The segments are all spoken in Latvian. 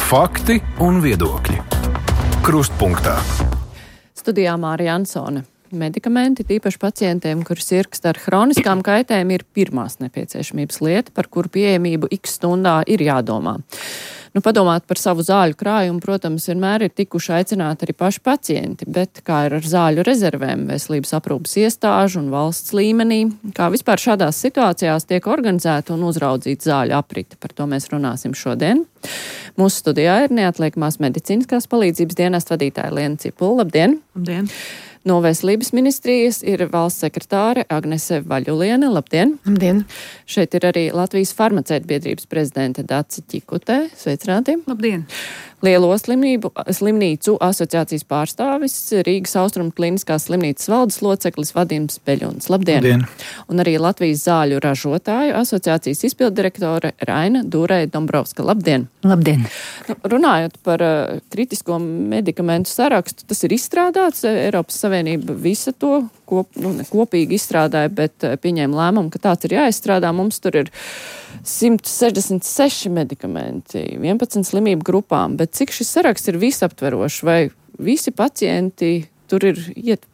Fakti un viedokļi. Krustpunktā. Studijā Mārija Ansone. Medikamenti, tīpaši pacientiem, kuri sirgst ar hroniskām kaitēm, ir pirmās nepieciešamības lieta, par kuru pieejamību x stundā ir jādomā. Padomāt par savu zāļu krājumu, protams, vienmēr ir tikuši aicināti arī paši pacienti, bet kā ir ar zāļu rezervēm veselības aprūpas iestāžu un valsts līmenī, kā vispār šādās situācijās tiek organizēta un uzraudzīta zāļu aprite. Par to mēs runāsim šodien. Mūsu studijā ir neatliekamās medicīniskās palīdzības dienesta vadītāja Liena Cipula. Labdien! Labdien! No Veselības ministrijas ir valsts sekretāre Agnese Vaļuliene. Labdien! Labdien! Šeit ir arī Latvijas farmaceitu biedrības prezidente Dace Ķikutē. Sveicināti! Labdien! Lielo slimnīcu asociācijas pārstāvis, Rīgas Austrumu kliniskās slimnīcas valdes loceklis Vadims Beļuns. Labdien! Labdien! Un arī Latvijas zāļu ražotāju asociācijas izpilddirektore Raina Dūrei-Dombrovska. Labdien! Labdien! Runājot par kritisko medikamentu sarakstu, tas ir izstrādāts. Eiropas Savienība visa to kopīgi izstrādāja, bet pieņēma lēmumu, ka tāds ir jāizstrādā. Mums tur ir 166 medikamenti, 11 slimību grupām, bet cik šis saraksts ir visaptverošs, vai visi pacienti tur ir,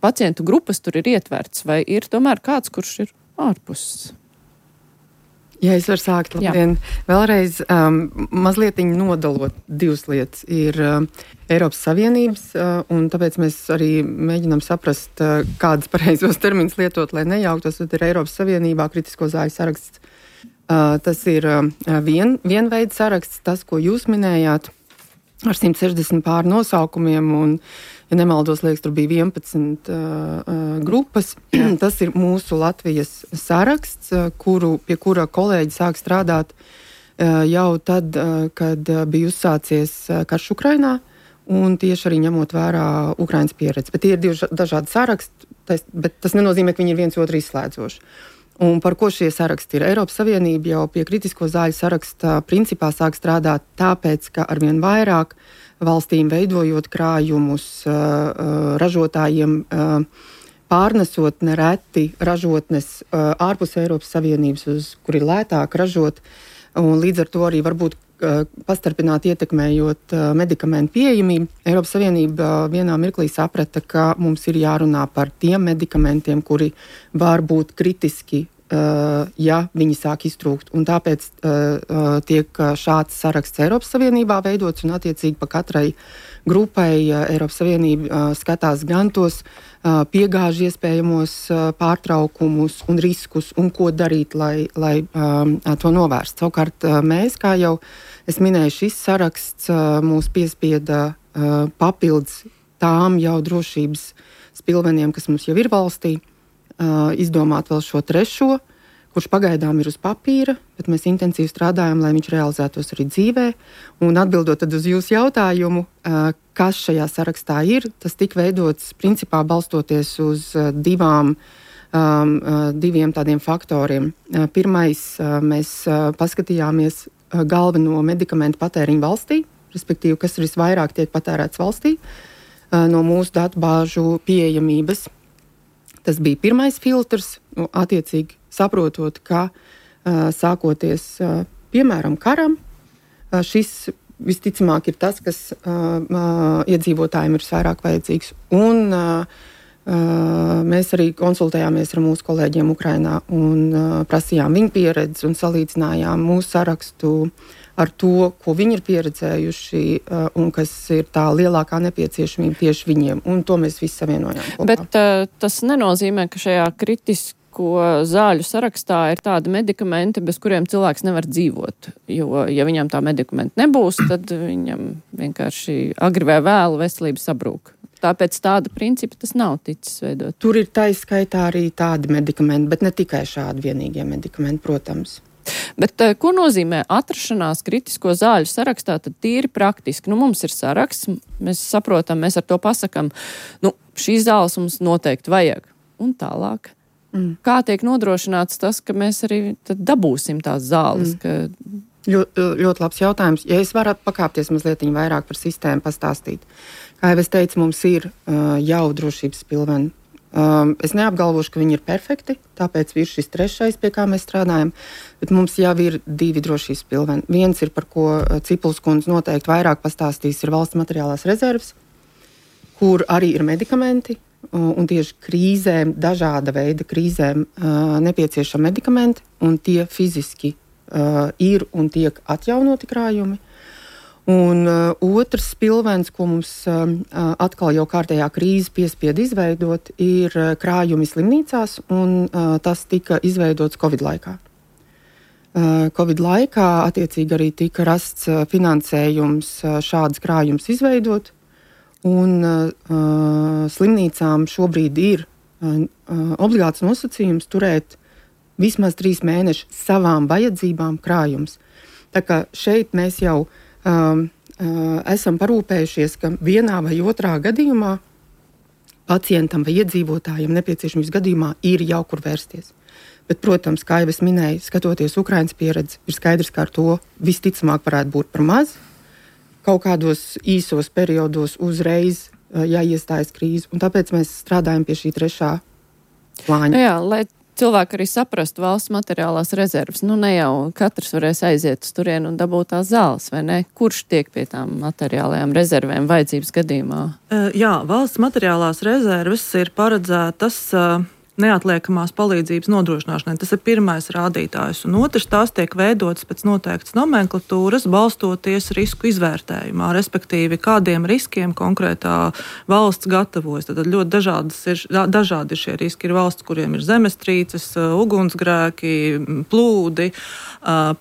pacientu grupas tur ir ietverts, vai ir tomēr kāds, kurš ir ārpus? Ja es varu sākt, labdien. Vēlreiz mazliet nodalot divas lietas. Ir Eiropas Savienības, un tāpēc mēs arī mēģinām saprast, kādas pareizos terminus lietot, lai nejauktos. Tad ir Eiropas Savienībā kritisko zāļu saraksts. Tas ir vienveida saraksts, tas, ko jūs minējāt, ar 160 pār nosaukumiem, un, ja nemaldos, liekas, tur bija 11 grupas. Tas ir mūsu Latvijas saraksts, pie kura kolēģi sāk strādāt jau tad, kad bija uzsācies karš Ukrainā, un tieši arī ņemot vērā Ukrainas pieredzi. Bet tie ir divi dažādi saraksti, bet tas nenozīmē, ka viņi ir viens otru izslēdzoši. Un par ko šie saraksti ir? Eiropas Savienība jau pie kritisko zāļu saraksta principā sāk strādāt tāpēc, ka arvien vairāk valstīm veidojot krājumus, ražotājiem pārnesot nereti ražotnes ārpus Eiropas Savienības, kur ir lētāk ražot, un līdz ar to arī varbūt pastarpināt ietekmējot medikamentu pieejamību. Eiropas Savienība vienā mirklī saprata, ka mums ir jārunā par tiem medikamentiem, kuri var būt kritiski, ja viņi sāk iztrūkt. Un tāpēc tiek šāds saraksts Eiropas Savienībā veidots, un attiecīgi pa katrai grupai Eiropas Savienība skatās gan tos piegāžu iespējamos pārtraukumus un riskus, un ko darīt, lai to novērst. Savukārt mēs, kā jau es minēju, šis saraksts mūs piespieda papildus tām jau drošības spilveniem, kas mums jau ir valstī, izdomāt vēl šo trešo, kurš pagaidām ir uz papīra, bet mēs intensīvi strādājam, lai viņš realizētos arī dzīvē. Un atbildot tad uz jūsu jautājumu, kas šajā sarakstā ir, tas tika veidots principā balstoties uz diviem tādiem faktoriem. Pirmais, mēs paskatījāmies galveno medikamentu patēriņu valstī, respektīvi, kas visvairāk tiek patērēts valstī, no mūsu datubāžu pieejamības. Tas bija pirmais filtrs, attiecīgi saprotot, ka sākoties, piemēram, karam, šis visticamāk ir tas, kas iedzīvotājiem ir visvairāk vajadzīgs. Un mēs arī konsultējāmies ar mūsu kolēģiem Ukrainā un prasījām viņu pieredzi un salīdzinājām mūsu sarakstu ar to, ko viņi ir pieredzējuši un kas ir tā lielākā nepieciešamība tieši viņiem. Un to mēs visi savienojām kopā. Bet tas nenozīmē, ka šajā kritisko zāļu sarakstā ir tādi medikamenti, bez kuriem cilvēks nevar dzīvot. Jo, ja viņam tā medikamenta nebūs, tad viņam vienkārši agri vai vēlu veselība sabrūk. Tāpēc tāda principa tas nav ticis veidot. Tur ir taiskaitā arī tādi medikamenti, bet ne tikai šādi vienīgie medikamenti, protams. Bet ko nozīmē atrašanās kritisko zāļu sarakstā, tad tīri praktiski? Mums ir saraksts, mēs saprotam, mēs ar to pasakam, šīs zāles mums noteikti vajag. Un tālāk. Kā tiek nodrošināts tas, ka mēs arī tad dabūsim tās zāles? Ļoti labs jautājums. Ja es varu pakāpties mazliet vairāk par sistēmu pastāstīt. Kā jau es teicu, mums ir jau drošības pilveni Es neapgalvošu, ka viņi ir perfekti, tāpēc ir šis 3., pie kā mēs strādājam, bet mums jau ir 2 drošības pilveni. Viens ir, par ko Cipuls kundze noteikti vairāk pastāstīs, ir valsts materiālās rezerves, kur arī ir medikamenti, un tieši krīzēm, dažāda veida krīzēm nepieciešami medikamenti, un tie fiziski ir un tiek atjaunoti krājumi. Un otrs pilvens, ko mums atkal jau kārtējā krīze piespied izveidot, ir krājumi slimnīcās, un tas tika izveidots Covid laikā. Covid laikā attiecīgi arī tika rasts finansējums šādas krājumus izveidot, un slimnīcām šobrīd ir obligāts nosacījums turēt vismaz 3 mēneši savām vajadzībām krājums. Tā kā šeit mēs jau esam parūpējušies, ka vienā vai otrā gadījumā pacientam vai iedzīvotājiem nepieciešamības gadījumā ir jau kur vērsties. Bet, protams, kā jau es minēju, skatoties Ukrainas pieredzi, ir skaidrs, ka ar to visticamāk varētu būt par maz. Kaut kādos īsos periodos uzreiz jāiestājas krīze, un tāpēc mēs strādājam pie šī 3. plāņa. Jā, lai cilvēki arī saprastu valsts materiālās rezerves. Ne jau katrs varēs aiziet uz turienu un dabūt tās zāles, vai ne? Kurš tiek pie tām materiālajām rezervēm vajadzības gadījumā? Jā, valsts materiālās rezerves ir paredzētas neatliekamās palīdzības nodrošināšanai. Tas ir pirmais rādītājs. Un otrs, tās tiek veidotas pēc noteiktas nomenklatūras, balstoties risku izvērtējumā, respektīvi, kādiem riskiem konkrētā valsts gatavojas. Tad ļoti dažādi ir šie riski. Ir valsts, kuriem ir zemestrīces, ugunsgrēki, plūdi,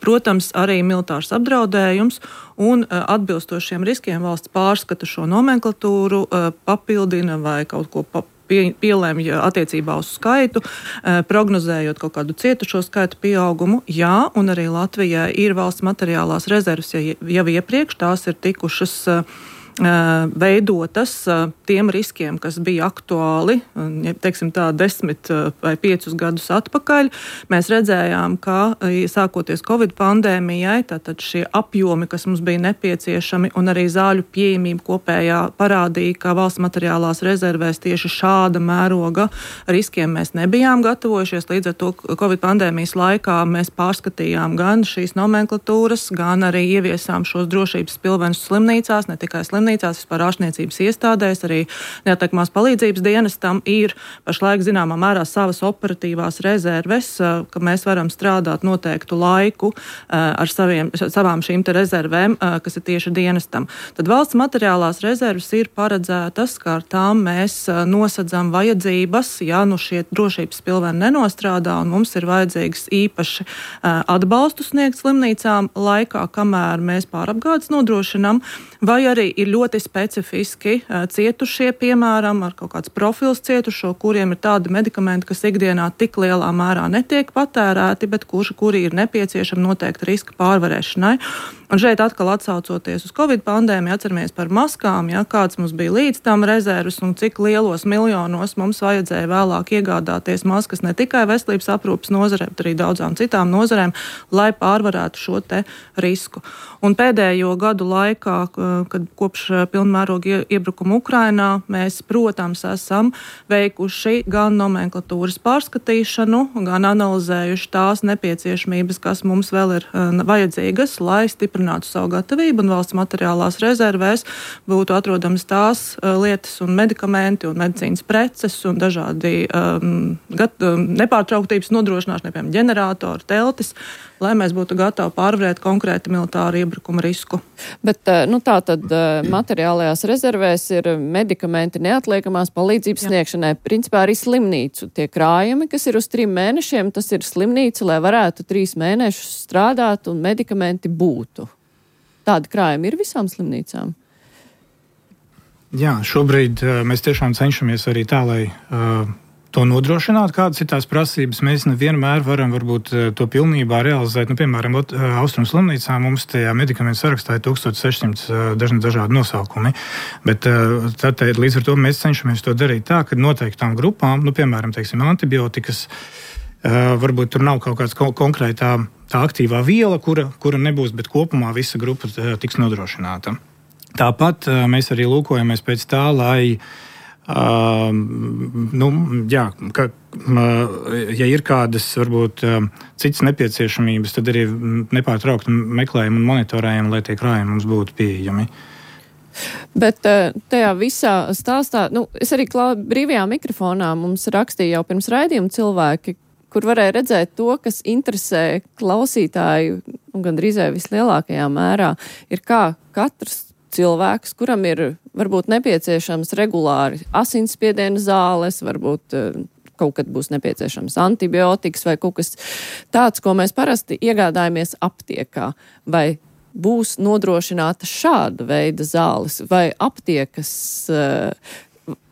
protams, arī militārs apdraudējums. Un atbilstošiem riskiem valsts pārskata šo nomenklatūru, papildina vai kaut ko pielēmj attiecībā uz skaitu, prognozējot kaut kādu cietušo skaitu pieaugumu. Jā, un arī Latvijai ir valsts materiālās rezerves jau iepriekš, tās ir tikušas veidotas tiem riskiem, kas bija aktuāli, teiksim tā, 10 vai 5 gadus atpakaļ. Mēs redzējām, ka sākoties Covid pandēmijai, tātad šie apjomi, kas mums bija nepieciešami, un arī zāļu pieejamība kopējā parādīja, ka valsts materiālās rezervēs tieši šāda mēroga riskiem mēs nebijām gatavojušies. Līdz ar to Covid pandēmijas laikā mēs pārskatījām gan šīs nomenklatūras, gan arī ieviesām šos drošības pilvenus slimnīcās, ne tikai slimnīcās, vispār ārstniecības iestādēs, arī neatliekamās palīdzības dienestam ir pašlaik zināmā mērā savas operatīvās rezerves, ka mēs varam strādāt noteiktu laiku ar savām šīm te rezervēm, kas ir tieši dienestam. Tad valsts materiālās rezerves ir paredzētas, kā ar tām mēs nosadzam vajadzības, ja šie drošības pilveni nenostrādā, un mums ir vajadzīgs īpaši atbalstu sniegt slimnīcām laikā, kamēr mēs pārapgādes nodrošinām, vai arī ir ļoti specifiski cietušie, piemēram, ar kaut kāds profils cietušo, kuriem ir tādi medikamenti, kas ikdienā tik lielā mērā netiek patērēti, bet kuri ir nepieciešami noteikti riska pārvarēšanai. Un šeit atkal atsaucoties uz Covid pandēmiju, atceramies par maskām, kāds mums bija līdz tam rezerves un cik lielos miljonos mums vajadzēja vēlāk iegādāties maskas ne tikai veselības aprūpes nozarē, bet arī daudzām citām nozarēm, lai pārvarētu šo te risku. Un pēdējo gadu laikā, kad kopš pilnmēroga iebrukuma Ukrainā, mēs, protams, esam veikuši gan nomenklatūras pārskatīšanu, gan analizējuši tās nepieciešamības, kas mums vēl ir vajadzīgas, lai stiprinātu savu gatavību, un valsts materiālās rezervēs būtu atrodamas tās lietas un medikamenti un medicīnas preces un dažādi nepārtrauktības nodrošināšana, piemēram, ģeneratori, teltis, lai mēs būtu gatavi pārvarēt konkrēti militāru iebrukuma risku. Bet tā tad materiālajās rezervēs ir medikamenti neatliekamās palīdzības sniegšanai. Principā arī slimnīcu tie krājumi, kas ir uz 3 mēnešiem, tas ir slimnīca, lai varētu 3 mēnešus strādāt un medikamenti būtu. Tādi krājumi ir visām slimnīcām? Jā, šobrīd mēs tiešām cenšamies arī tā, lai to nodrošināt, kādas ir tās prasības. Mēs nevienmēr varam varbūt to pilnībā realizēt. Piemēram, Austrumu slimnīcā mums tajā medikamentu sarakstā ir 1600 dažādi nosaukumi. Bet tad līdz ar to mēs cenšamies to darīt tā, ka noteiktām grupām, piemēram, teiksim, antibiotikas, varbūt tur nav kaut kāds konkrētā tā aktīvā viela, kura nebūs, bet kopumā visa grupa tiks nodrošināta. Tāpat mēs arī lūkojamies pēc tā, lai Ja ir kādas, varbūt, citas nepieciešamības, tad arī nepārtraukti meklējam un monitorējam, lai tie krājumi mums būtu pieejami. Bet tajā visā stāstā, es arī brīvajā mikrofonā mums rakstīja jau pirms raidījuma cilvēki, kur varēja redzēt to, kas interesē klausītāju, gandrīz vislielākajā mērā, ir kā katrs cilvēks, kuram ir varbūt nepieciešams regulāri asinsspiediena zāles, varbūt kaut kad būs nepieciešams antibiotikas vai kaut kas tāds, ko mēs parasti iegādājamies aptiekā, vai būs nodrošināta šāda veida zāles, vai aptiekas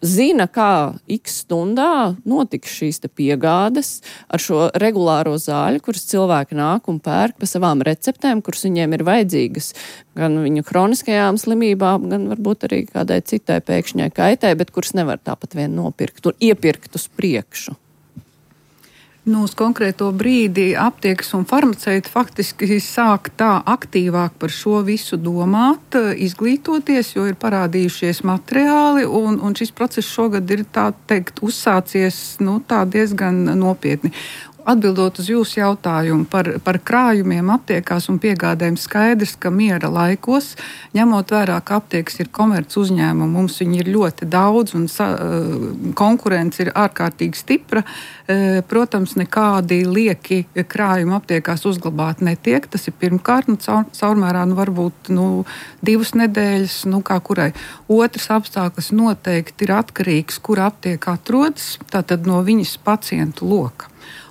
zina, kā x stundā notiks šīs te piegādes ar šo regulāro zāļu, kuras cilvēki nāk un pērk pa savām receptēm, kuras viņiem ir vajadzīgas gan viņu kroniskajām slimībām, gan varbūt arī kādai citai pēkšņai kaitē, bet kuras nevar tāpat vien nopirkt un iepirkt uz priekšu. Uz konkrēto brīdi aptiekas un farmaceiti faktiski sāk tā aktīvāk par šo visu domāt, izglītoties, jo ir parādījušies materiāli, un šis process šogad ir tā teikt uzsācies tā diezgan nopietni. Atbildot uz jūsu jautājumu par krājumiem aptiekās un piegādēm, skaidrs, ka miera laikos, ņemot vērā, ka aptiekas ir komerc uzņēmumi, mums viņi ir ļoti daudz un konkurence ir ārkārtīgi stipra. Protams, nekādi lieki krājumi aptiekās uzglabāt netiek. Tas ir pirmkārt, caurmērā varbūt 2 nedēļas, kā kurai. Otrs apstākļus noteikti ir atkarīgs, kur aptieka atrodas, tātad no viņas pacientu loka.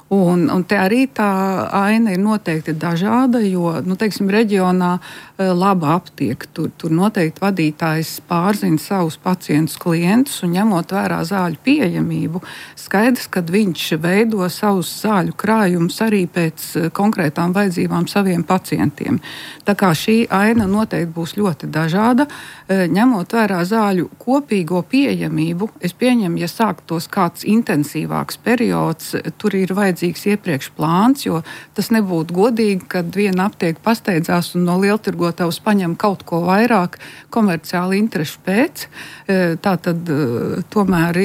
Un te arī tā aina ir noteikti dažāda, jo, reģionā laba aptieka. Tur noteikti vadītājs pārzina savus pacientus, klientus un ņemot vērā zāļu pieejamību, skaidrs, ka viņš veido savus zāļu krājumus arī pēc konkrētām vajadzībām saviem pacientiem. Tā kā šī aina noteikti būs ļoti dažāda, ņemot vērā zāļu kopīgo pieejamību, es pieņemu, ja sāktos kāds intensīvāks periods, tur ir vajadzīgs iepriekš plāns, jo tas nebūtu godīgi, kad viena aptieka pasteidzās un no lieltirgotavas paņem kaut ko vairāk komerciāli interešu pēc. Tātad tomēr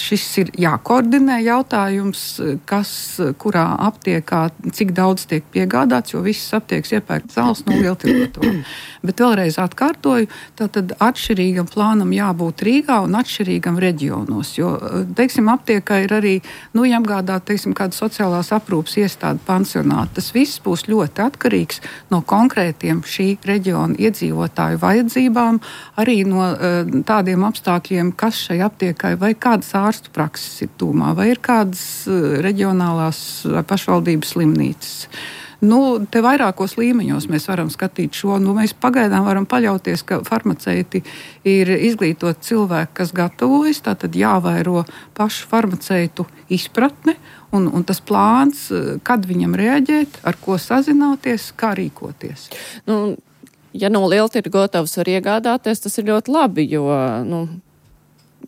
šis ir jākoordinē jautājums, kas kurā aptiekā, cik daudz tiek piegādāts, jo visas aptiekas iepērk zāles no lieltirgotavām. Bet vēlreiz atkārtoju, tātad atšķirīgam plānam jābūt Rīgā un atšķirīgam reģionos, jo, aptiekā ir arī, jāapgādāt, kāda sociālās aprūpas iestāde pansionāti. Tas viss būs ļoti atkarīgs no konkrētiem šī reģiona iedzīvotāju vajadzībām, arī no tādiem apstākļiem, kas šai aptiekai vai kādas ārstu prakses ir tūmā, vai ir kādas reģionālās pašvaldības slimnīcas. Te vairākos līmeņos mēs varam skatīt šo. Mēs pagaidām varam paļauties, ka farmaceiti ir izglītoti cilvēki, kas gatavojas, tātad jāvairo pašu farmaceitu izpratne un tas plāns, kad viņam reaģēt, ar ko sazināties, kā rīkoties. Ja no lieltirgotavas var iegādāties, tas ir ļoti labi, jo,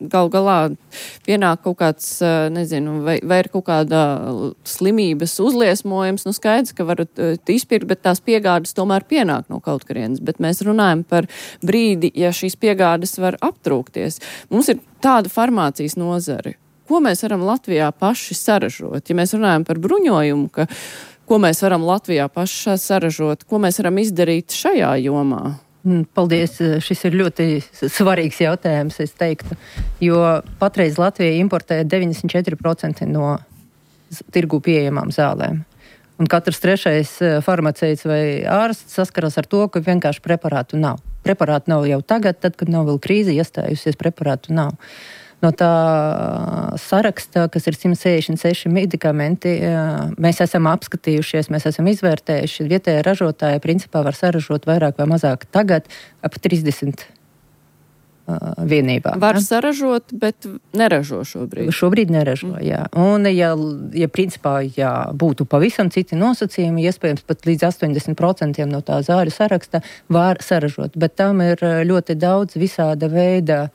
gal galā pienāk kaut kāds, vai ir kaut kāda slimības uzliesmojums, skaidrs, ka varat izpirkt, bet tās piegādes tomēr pienāk no kaut kurienes. Bet mēs runājam par brīdi, ja šīs piegādes var aptrūkties. Mums ir tāda farmācijas nozare. Ko mēs varam Latvijā paši saražot? Ja mēs runājam par bruņojumu, ko mēs varam Latvijā paši saražot, ko mēs varam izdarīt šajā jomā? Paldies, šis ir ļoti svarīgs jautājums, es teiktu, jo patreiz Latvija importē 94% no tirgu pieejamām zālēm. Un katrs trešais farmaceits vai ārsts saskaras ar to, ka vienkārši preparātu nav. Preparātu nav jau tagad, tad, kad nav vēl krīze iestājusies, preparātu nav. No tā saraksta, kas ir 166 medikamenti, mēs esam apskatījušies, mēs esam izvērtējuši. Vietējā ražotāja principā var saražot vairāk vai mazāk tagad ap 30 vienībā. Var saražot, bet neražo šobrīd. Šobrīd neražo, jā. Un ja principā būtu pavisam citi nosacījumi, iespējams pat līdz 80% no tā zāļu saraksta var saražot. Bet tam ir ļoti daudz visāda veida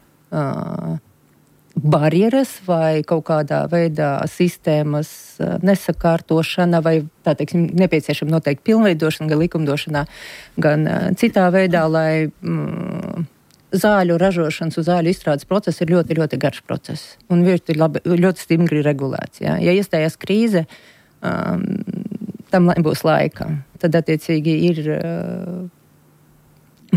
barjeras vai kaut kādā veidā sistēmas nesakārtošana vai, tā teiksim, nepieciešama noteikti pilnveidošana gan likumdošanā, gan citā veidā, lai zāļu ražošanas un zāļu izstrādes process ir ļoti, ļoti garš process un ļoti stingri regulēts. Ja iestājās krīze, tam nebūs laika. Tad, attiecīgi,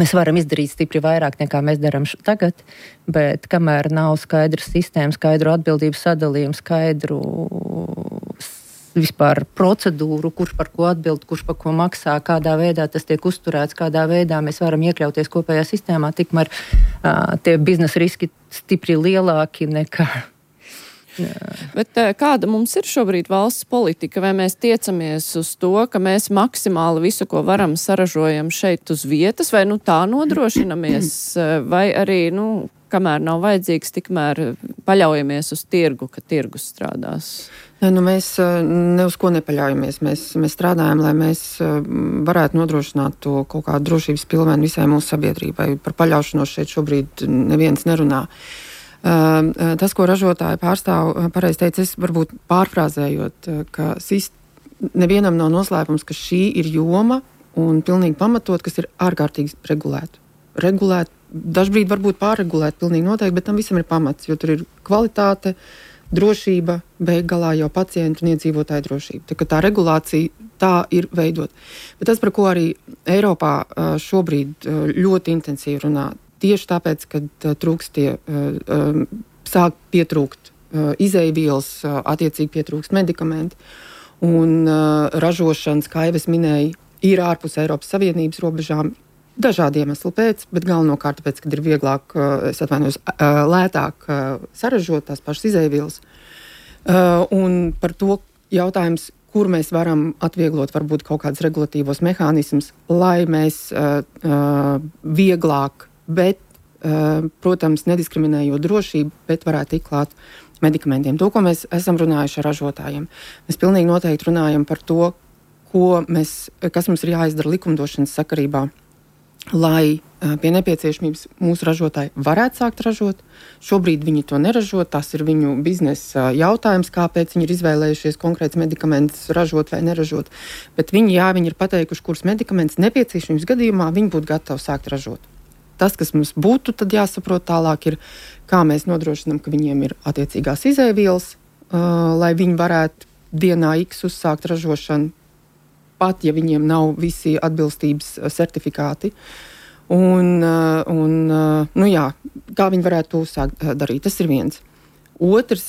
mēs varam izdarīt stipri vairāk, nekā mēs darām tagad, bet kamēr nav skaidrs sistēma, skaidru atbildības sadalījumu, skaidru vispār procedūru, kurš par ko atbild, kurš par ko maksā, kādā veidā tas tiek uzturēts, kādā veidā mēs varam iekļauties kopējā sistēmā, tikmēr tie biznesa riski stipri lielāki nekā. Bet kāda mums ir šobrīd valsts politika? Vai mēs tiecamies uz to, ka mēs maksimāli visu, ko varam, saražojam šeit uz vietas, vai tā nodrošinamies, vai arī, kamēr nav vajadzīgs, tikmēr paļaujamies uz tirgu, ka tirgus strādās? Mēs ne uz ko nepaļaujamies. Mēs strādājam, lai mēs varētu nodrošināt to kaut kādu drošības pilvēnu visai mūsu sabiedrībai. Par paļaušanos šeit šobrīd neviens nerunā. Tas, ko ražotāji pārstāv, pareizi teica, es varbūt pārfrāzējot, ka nevienam nav noslēpums, ka šī ir joma un pilnīgi pamatot, kas ir ārkārtīgi regulēta. Dažbrīd varbūt pārregulēt pilnīgi noteikti, bet tam visam ir pamats, jo tur ir kvalitāte, drošība, beig galā jau pacientu un iedzīvotāju drošība. Tā regulācija tā ir veidot. Bet tas, par ko arī Eiropā šobrīd ļoti intensīvi runā, tieši tāpēc, kad sāk pietrūkt izeivielas, attiecīgi pietrūkst medikamenti, un ražošanas, kā jau es minēju, ir ārpus Eiropas Savienības robežām, dažādi iemesli pēc, bet galvenokārt tāpēc, kad ir vieglāk, lētāk saražot tās pašas izeivielas. Un par to jautājums, kur mēs varam atvieglot varbūt kaut kādus regulatīvos mehānismus, lai mēs vieglāk, bet, protams, nediskriminējot drošību, bet varētu tikt klāt medikamentiem. To, ko mēs esam runājuši ar ražotājiem. Mēs pilnīgi noteikti runājam par to, kas mums ir jāizdara likumdošanas sakarībā, lai pie nepieciešamības mūsu ražotāji varētu sākt ražot. Šobrīd viņi to neražo, tas ir viņu biznesa jautājums, kāpēc viņi ir izvēlējušies konkrēts medikamentus ražot vai neražot. Bet viņi ir pateikuši, kurus medikamentus nepieciešamības gadījumā viņi būtu gatavi sākt ražot. Tas, kas mums būtu tad jāsaprot tālāk, ir, kā mēs nodrošinām, ka viņiem ir attiecīgās izeivielas, lai viņi varētu dienā X uzsākt ražošanu, pat ja viņiem nav visi atbilstības certifikāti. Kā viņi varētu to uzsākt darīt, tas ir viens. Otrs,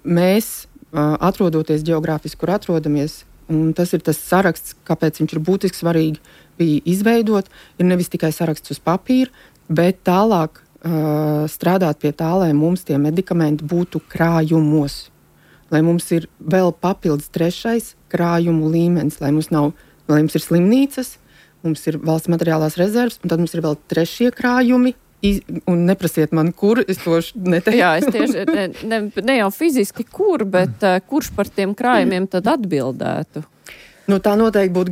mēs, atrodoties geogrāfiski, kur atrodamies, un tas ir tas saraksts, kāpēc viņš ir būtiski svarīgi bija izveidot, ir nevis tikai saraksts uz papīra, bet tālāk strādāt pie tā, lai mums tie medikamenti būtu krājumos. Lai mums ir vēl papildus trešais krājumu līmenis, lai mums ir slimnīcas, mums ir valsts materiālās rezerves, un tad mums ir vēl trešie krājumi, un neprasiet man, kur, es to neteiktu. Jā, es tieši, ne jau fiziski kur, bet kurš par tiem krājumiem tad atbildētu? Tā noteikti būtu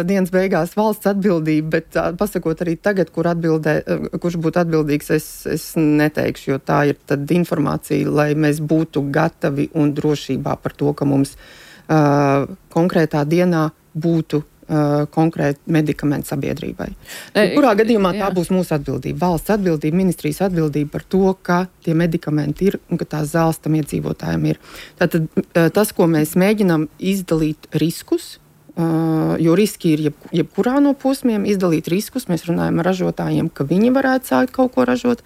dienas beigās valsts atbildība, bet pasakot arī tagad, kurš būtu atbildīgs, es neteikšu, jo tā ir tad informācija, lai mēs būtu gatavi un drošībā par to, ka mums konkrētā dienā būtu konkrēti medikamenti sabiedrībai. Kurā gadījumā tā būs mūsu atbildība, valsts atbildība, ministrijas atbildība par to, ka tie medikamenti ir un ka tās zāles tam iedzīvotājiem ir. Tātad tas, ko mēs mēģinām izdalīt riskus, jo riski ir jebkurā no posmiem, izdalīt riskus, mēs runājam ar ražotājiem, ka viņi varētu sākt kaut ko ražot.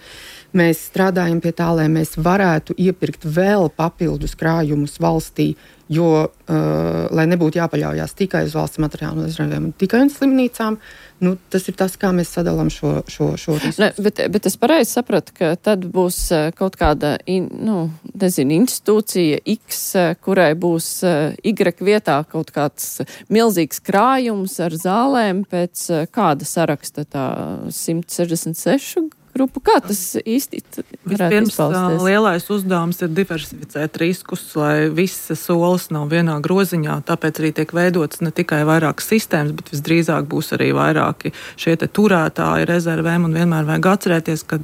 Mēs strādājam pie tā, lai mēs varētu iepirkt vēl papildus krājumus valstī, jo, lai nebūtu jāpaļaujās tikai uz valsts materiālu rezervēm, tikai uz slimnīcām, tas ir tas, kā mēs sadalām šo risku. Bet es pareizi sapratu, ka tad būs kaut kāda, institūcija X, kurai būs Y vietā kaut kāds milzīgs krājums ar zālēm pēc kāda saraksta, tā 166 grupu. Kā tas īsti varētu izpausties? Lielais uzdevums ir diversificēt riskus, lai visas solis nav vienā groziņā, tāpēc arī tiek veidotas ne tikai vairākas sistēmas, bet visdrīzāk būs arī vairāki šie te turētāji rezervēm, un vienmēr vajag atcerēties, ka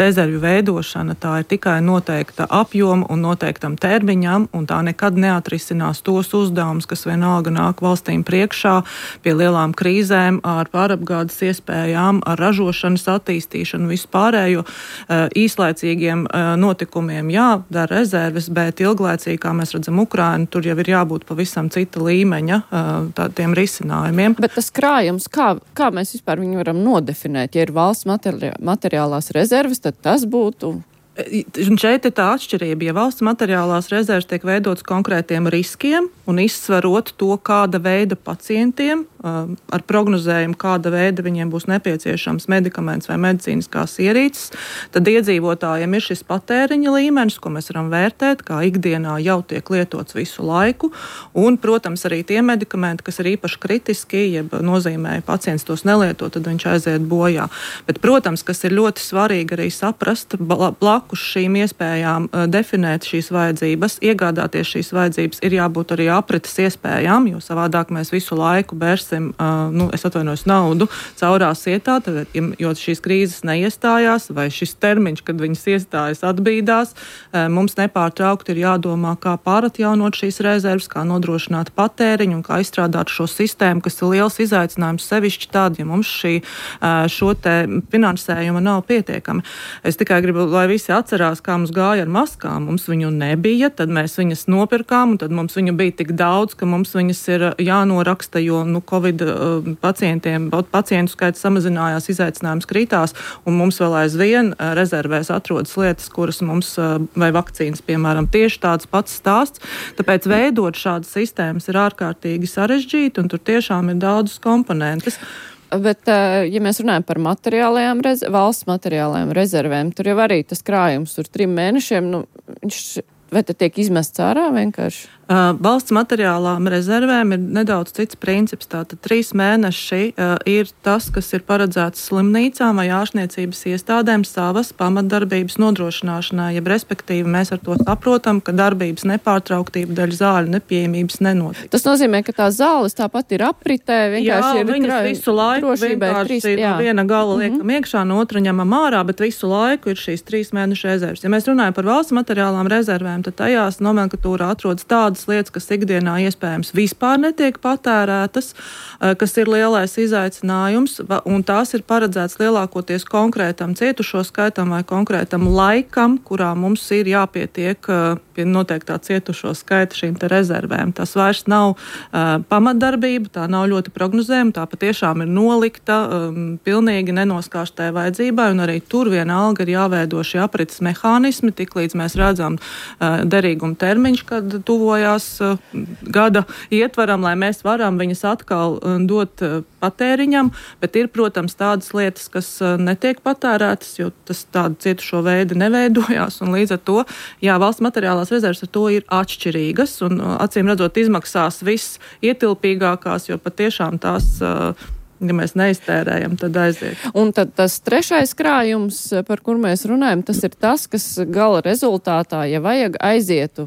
rezervju veidošana tā ir tikai noteikta apjoma un noteiktam termiņam, un tā nekad neatrisinās tos uzdevumus, kas vienalga nāk valstīm priekšā pie lielām krīzēm, ar pārapgādes iespējām, ar ražošanas attīstīšanu, pārējo īslaicīgiem notikumiem jādara rezerves, bet ilglaicīgi, kā mēs redzam Ukrainu, tur jau ir jābūt pavisam cita līmeņa tādiem risinājumiem. Bet tas krājums, kā mēs vispār viņu varam nodefinēt? Ja ir valsts materiālās rezerves, tad tas būtu... Un šeit ir tā atšķirība. Ja valsts materiālās rezerves tiek veidotas konkrētiem riskiem un izsverot to, kāda veida pacientiem ar prognozējumu, kāda veida viņiem būs nepieciešams medikaments vai medicīniskās ierīces, tad iedzīvotājiem ir šis patēriņa līmenis, ko mēs varam vērtēt, kā ikdienā jau tiek lietots visu laiku. Un, protams, arī tie medikamenti, kas ir īpaši kritiski, jeb nozīmē, pacients tos nelieto, tad viņš aiziet bojā. Bet, protams, kas ir ļoti svarīgi arī saprast, blakus šīm iespējām definēt šīs vajadzības, iegādāties šīs vajadzības, ir jābūt arī aprites iespējām, jo savādāk mēs visu laiku bērsim, naudu caurās ietā, tad, jo šīs krīzes neiestājās, vai šis termiņš, kad viņas iestājas, atbīdās, mums nepārtraukti ir jādomā, kā pāratjaunot šīs rezerves, kā nodrošināt patēriņu un kā izstrādāt šo sistēmu, kas ir liels izaicinājums sevišķi tādi, ja mums šo te finansējuma nav pietiekami. Es tikai gribu, lai visi atcerās, kā mums gāja ar maskām. Mums viņu nebija, tad mēs viņas nopirkām, un tad mums viņu bija tik daudz, ka mums viņas ir jānoraksta, jo Covid pacientu skaits samazinājās, izaicinājums kritās, un mums vēl aizvien rezervēs atrodas lietas, kuras mums, vai vakcīnas, piemēram, tieši tāds pats stāsts. Tāpēc veidot šādas sistēmas ir ārkārtīgi sarežģīti, un tur tiešām ir daudzas komponentes. Bet, ja mēs runājam par valsts materiālajām rezervēm, tur jau arī tas krājums tur 3 mēnešiem, vai tad tiek izmests ārā vienkārši? Valsts materiālām rezervēm ir nedaudz cits princips. Tātad 3 mēneši ir tas, kas ir paredzēts slimnīcām vai ārstniecības iestādēm savas pamatdarbības nodrošināšanai, jeb respektīvi mēs ar to saprotam, ka darbības nepārtrauktība dēļ zāļu nepieejamības nenotiek. Tas nozīmē, ka tās zāles tāpat ir apritē, vienkārši viņas visu laiku vienkārši no viena gala liekam iekšā, no otra ņemam ārā, bet visu laiku ir šīs 3 mēnešu rezerves. Ja mēs runājam par valsts materiālām rezervēm, tad tajās nomenklatūrā atrodas tādas lietas, kas ikdienā iespējams vispār netiek patērētas, kas ir lielais izaicinājums, un tās ir paredzēts lielākoties konkrētam cietušo skaitam vai konkrētam laikam, kurā mums ir jāpietiek pie noteiktā cietušo skaita šīm te rezervēm. Tas vairs nav pamatdarbība, tā nav ļoti prognozējama, tā patiešām ir nolikta pilnīgi nenoskārštai vajadzībai, un arī tur vienalga ir jāveido šie aprites mehānismi, tiklīdz mēs redzam derīguma termiņš, kad tuvojās gada ietvaram, lai mēs varam viņas atkal dot patēriņam, bet ir, protams, tādas lietas, kas netiek patērētas, jo tas tāda cietušo veidi neveidojās, un līdz ar to, valsts materiālās rezerves ar to ir atšķirīgas, un acīm redzot izmaksās viss ietilpīgākās, jo patiešām tās ja mēs neiztērējam, tad aiziet. Un tad tas 3. krājums, par kur mēs runājam, tas ir tas, kas gala rezultātā, ja vajag aizietu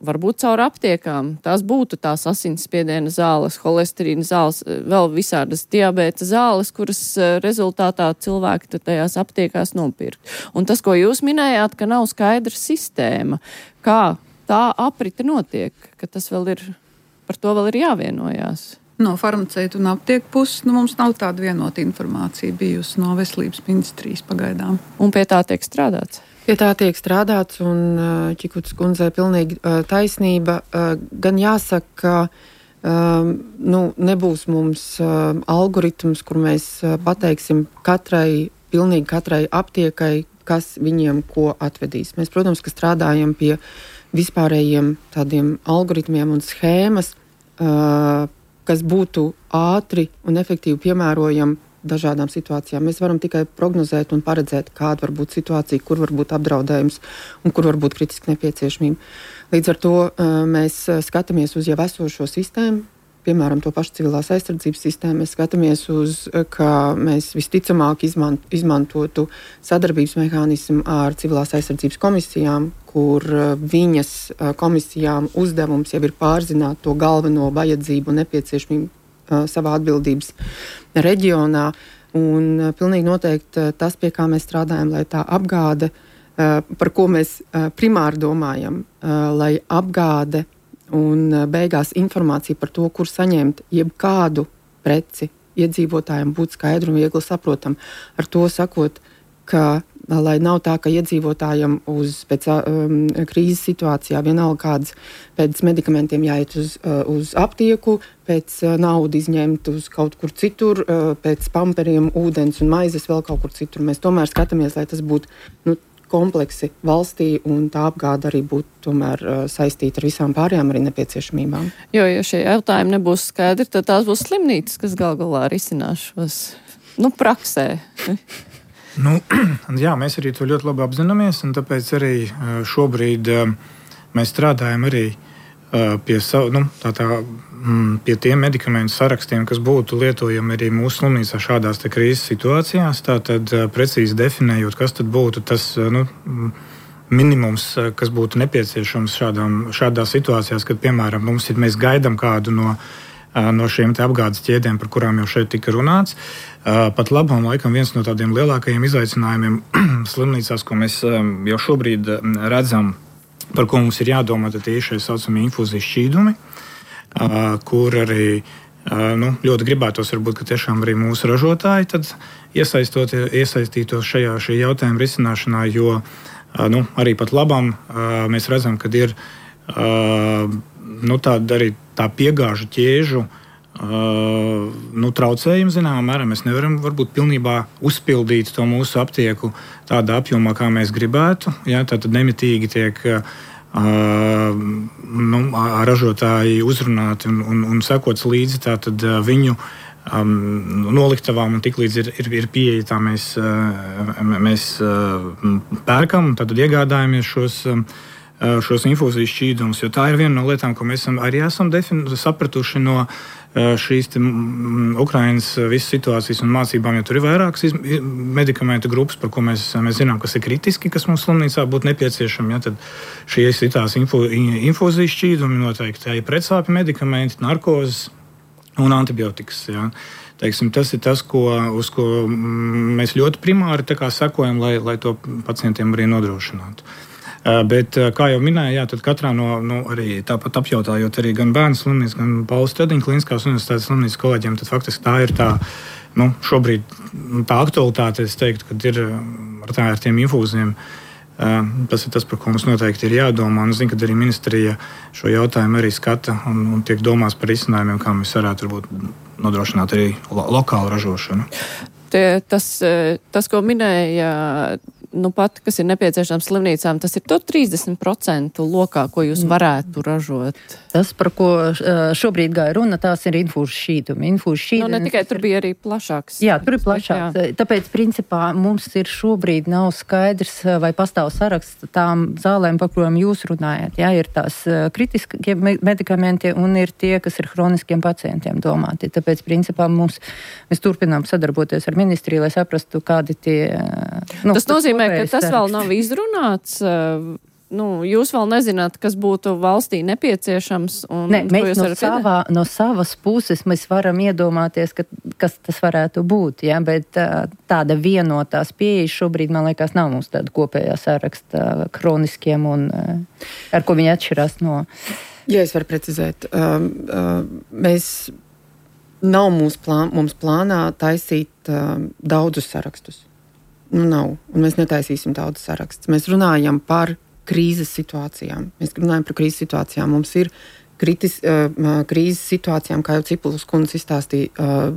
varbūt caur aptiekām. Tās būtu tās asinsspiediena zāles, holesterīna zāles, vēl visādas diabēta zāles, kuras rezultātā cilvēki tad tajās aptiekās nopirkt. Un tas, ko jūs minējāt, ka nav skaidra sistēma, kā tā aprite notiek, ka tas vēl ir, par to vēl ir jāvienojās. No farmaceitu un aptieku puses mums nav tāda vienota informācija bijusi no veselības ministrijas pagaidām. Un pie tā tiek strādāts? Pie tā tiek strādāts, un Čikutas kundzei pilnīgi taisnība. Gan jāsaka, ka nebūs mums algoritms, kur mēs pateiksim pilnīgi katrai aptiekai, kas viņiem ko atvedīs. Mēs, protams, ka strādājam pie vispārējiem tādiem algoritmiem un schēmas, kas būtu ātri un efektīvi piemērojami dažādām situācijām. Mēs varam tikai prognozēt un paredzēt, kāda var būt situācija, kur var būt apdraudējums un kur var būt kritiska nepieciešamība. Līdz ar to mēs skatāmies uz jau esošo sistēmu, piemēram, to pašu civilās aizsardzības sistēmu, mēs skatāmies uz, ka mēs visticamāk izmantotu sadarbības mehānismu ar civilās aizsardzības komisijām, kur viņas komisijām uzdevums jau ir pārzināt to galveno vajadzību un nepieciešamību savā atbildības reģionā. Un pilnīgi noteikti tas, pie kā mēs strādājam, lai tā apgāde, par ko mēs primāri domājam, lai apgāde un beigās informācija par to, kur saņemt jebkādu preci iedzīvotājiem būtu skaidru un viegli saprotam. Ar to sakot, ka lai nav tā, ka iedzīvotājiem pēc krīzes situācijā vienalga kādas pēc medikamentiem jāiet uz aptieku, pēc naudu izņemt uz kaut kur citur, pēc pamperiem, ūdens un maizes vēl kaut kur citur. Mēs tomēr skatāmies, lai tas būtu kompleksi valstī, un tā apgāde arī būtu tomēr saistīta ar visām pārējām arī nepieciešamībām. Jo, ja šie jautājumi nebūs skaidri, tad tās būs slimnīcas, kas gal galā risinās šos, praksē. Jā, mēs arī to ļoti labi apzināmies, un tāpēc arī šobrīd mēs strādājam arī pie pie tiem medikamentu sarakstiem, kas būtu lietojami arī mūsu slimnīcā šādās krīzes situācijās. Tātad precīzi definējot, kas tad būtu tas minimums, kas būtu nepieciešams šādās situācijās, kad, piemēram, mēs gaidām kādu no šiem apgādes ķēdēm, par kurām jau šeit tika runāts. Pat labam laikam viens no tādiem lielākajiem izaicinājumiem slimnīcās, ko mēs jau šobrīd redzam, par ko mums ir jādomā, tad ir šie saucamie infūzijas šķīdumi, kur arī ļoti gribētos, varbūt, ka tiešām arī mūsu ražotāji tad iesaistītos šī jautājuma risināšanā, jo arī pat labam mēs redzam, ka ir tāda arī tā piegāžu ķēžu traucējumi zināmā mērā. Mēs nevaram varbūt pilnībā uzpildīt to mūsu aptieku tādā apjomā, kā mēs gribētu. Ja, tātad nemitīgi tiek ražotāji uzrunāti un sekots līdzi tātad viņu noliktavām, un tiklīdz ir pieeja, tā mēs pērkam, tātad iegādājamies šos infūzijas šķīdumus, jo tā ir viena no lietām, ko mēs arī esam sapratuši no šīs Ukrainas visas situācijas un mācībām, jo tur ir vairākas medikamentu grupas, par ko mēs zinām, kas ir kritiski, kas mums slimnīcā būtu nepieciešami. Ja, tad šie citās infūzijas šķīdumi noteikti ir pretsāpju medikamenti, narkozes un antibiotikas. Ja. Teiksim, tas ir tas, uz ko mēs ļoti primāri sekojam, lai to pacientiem arī nodrošinātu. Bet, kā jau minēju, jā, tad katrā arī tāpat apjautājot arī gan bērnu slimnīcu, gan Paula Stediņa kliniskās universitātes slimnīcas kolēģiem, tad faktiski tā ir tā, šobrīd tā aktualitāte, es teiktu, kad ir ar tiem infūziem. Tas ir tas, par ko mums noteikti ir jādomā. Un es zinu, ka arī ministrija šo jautājumu arī skata un tiek domās par risinājumiem, kā mēs varētu varbūt nodrošināt arī lokālu ražošanu. Tas, ko minēja pat, kas ir nepieciešams slimnīcām, tas ir to 30% lokā, ko jūs varētu ražot. Tas, par ko šobrīd gāja runa, tās ir infūzijas šķīdumi. Ne tikai tur bija arī plašāks. Jā, tur ir plašāks. Jā. Tāpēc, principā, mums ir šobrīd nav skaidrs, vai pastāv saraksts tām zālēm, par kurām jūs runājat. Jā, ir tās kritiskie medikamenti un ir tie, kas ir hroniskiem pacientiem domāti. Tāpēc, principā, mēs turpinām sadarboties ar ministriju, lai saprastu, kādi tie... Tas nozīmē, ka tas vēl nav izrunāts. Jūs vēl nezināt, kas būtu valstī nepieciešams. Mēs no savas puses mēs varam iedomāties, kas tas varētu būt. Ja? Bet tāda vienotās pieejas šobrīd, man liekas, nav mums tāda kopējā saraksta kroniskiem un ar ko viņi atšķirās no... Ja es varu precizēt, nav mums plānā taisīt daudzus sarakstus. Nav, un mēs netaisīsim daudz sarakstus. Mēs runājam par krīzes situācijām. Mums ir krīzes situācijām, kā jau Cipulis kundze izstāstīja,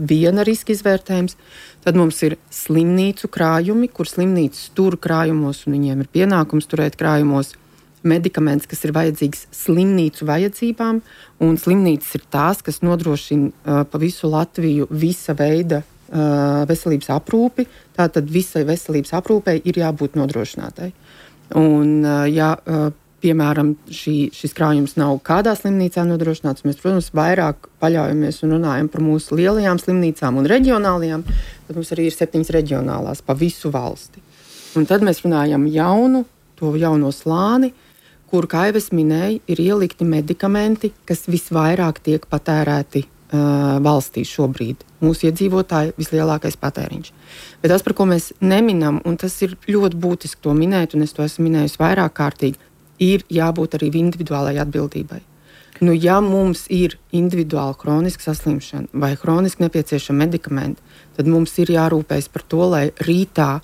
viena riska izvērtējums. Tad mums ir slimnīcu krājumi, kur slimnīcas tur krājumos, un viņiem ir pienākums turēt krājumos medikaments, kas ir vajadzīgs slimnīcu vajadzībām, un slimnīcas ir tās, kas nodrošina pa visu Latviju visa veida veselības aprūpi, tātad visai veselības aprūpei ir jābūt nodrošinātai. Un, ja piemēram, šis krājums nav kādā slimnīcā nodrošināts, mēs, protams, vairāk paļaujamies un runājam par mūsu lielajām slimnīcām un reģionālajām, tad mums arī ir 7 reģionālās pa visu valsti. Un tad mēs runājam to jauno slāni, kur, kā jau es minēju, ir ielikti medikamenti, kas visvairāk tiek patērēti valstī šobrīd. Mūsu iedzīvotāji vislielākais patēriņš. Bet tas, par ko mēs neminam, un tas ir ļoti būtiski to minēt, un es to esmu minējusi vairāk kārtīgi, ir jābūt arī individuālai atbildībai. Nu, ja mums ir individuāla kroniska saslimšana vai kroniski nepieciešama medikamenti, tad mums ir jārūpējas par to, lai rītā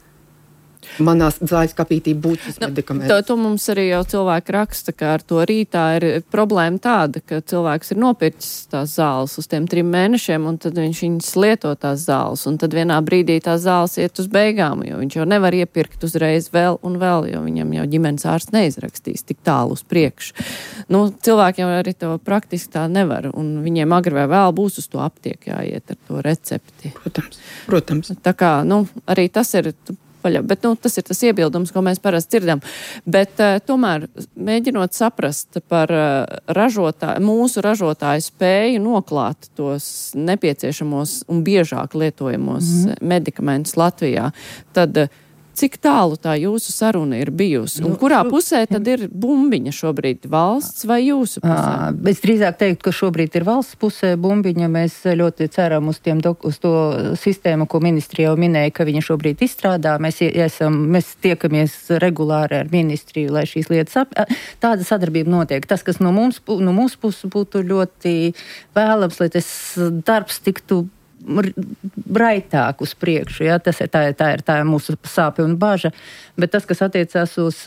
manā zāles kapītī būtu šis medikaments. To mums arī jau cilvēki raksta, ka ar to rītā ir problēma tāda, ka cilvēks ir nopircis tās zāles uz tiem 3 mēnešiem, un tad viņš viņas lieto tās zāles, un tad vienā brīdī tās zāles iet uz beigām, jo viņš jau nevar iepirkt uzreiz vēl un vēl, jo viņam jau ģimenes ārsts neizrakstīs tik tālu uz priekšu. Nu, cilvēki jau arī to praktiski tā nevar, un viņiem agri vai vēl būs uz to aptieku jāiet ar to recepti. Protams. Tā kā, arī tas ir... Bet tas ir tas iebildums, ko mēs parasti dzirdam. Bet tomēr mēģinot saprast par mūsu ražotāju spēju noklāt tos nepieciešamos un biežāk lietojamos medikamentus Latvijā, tad cik tālu tā jūsu saruna ir bijusi? Un kurā pusē tad ir bumbiņa šobrīd? Valsts vai jūsu pusē? Es drīzāk teiktu, ka šobrīd ir valsts pusē bumbiņa. Mēs ļoti ceram uz to sistēmu, ko ministrija jau minēja, ka viņa šobrīd izstrādā. Mēs tiekamies regulāri ar ministriju, lai šīs lietas tāda sadarbība notiek. Tas, kas no mūsu puses būtu ļoti vēlams, lai tas darbs tiktu braitāk uz priekšu, ja? Tā ir mūsu sāpe un baža, bet tas, kas attiecās uz,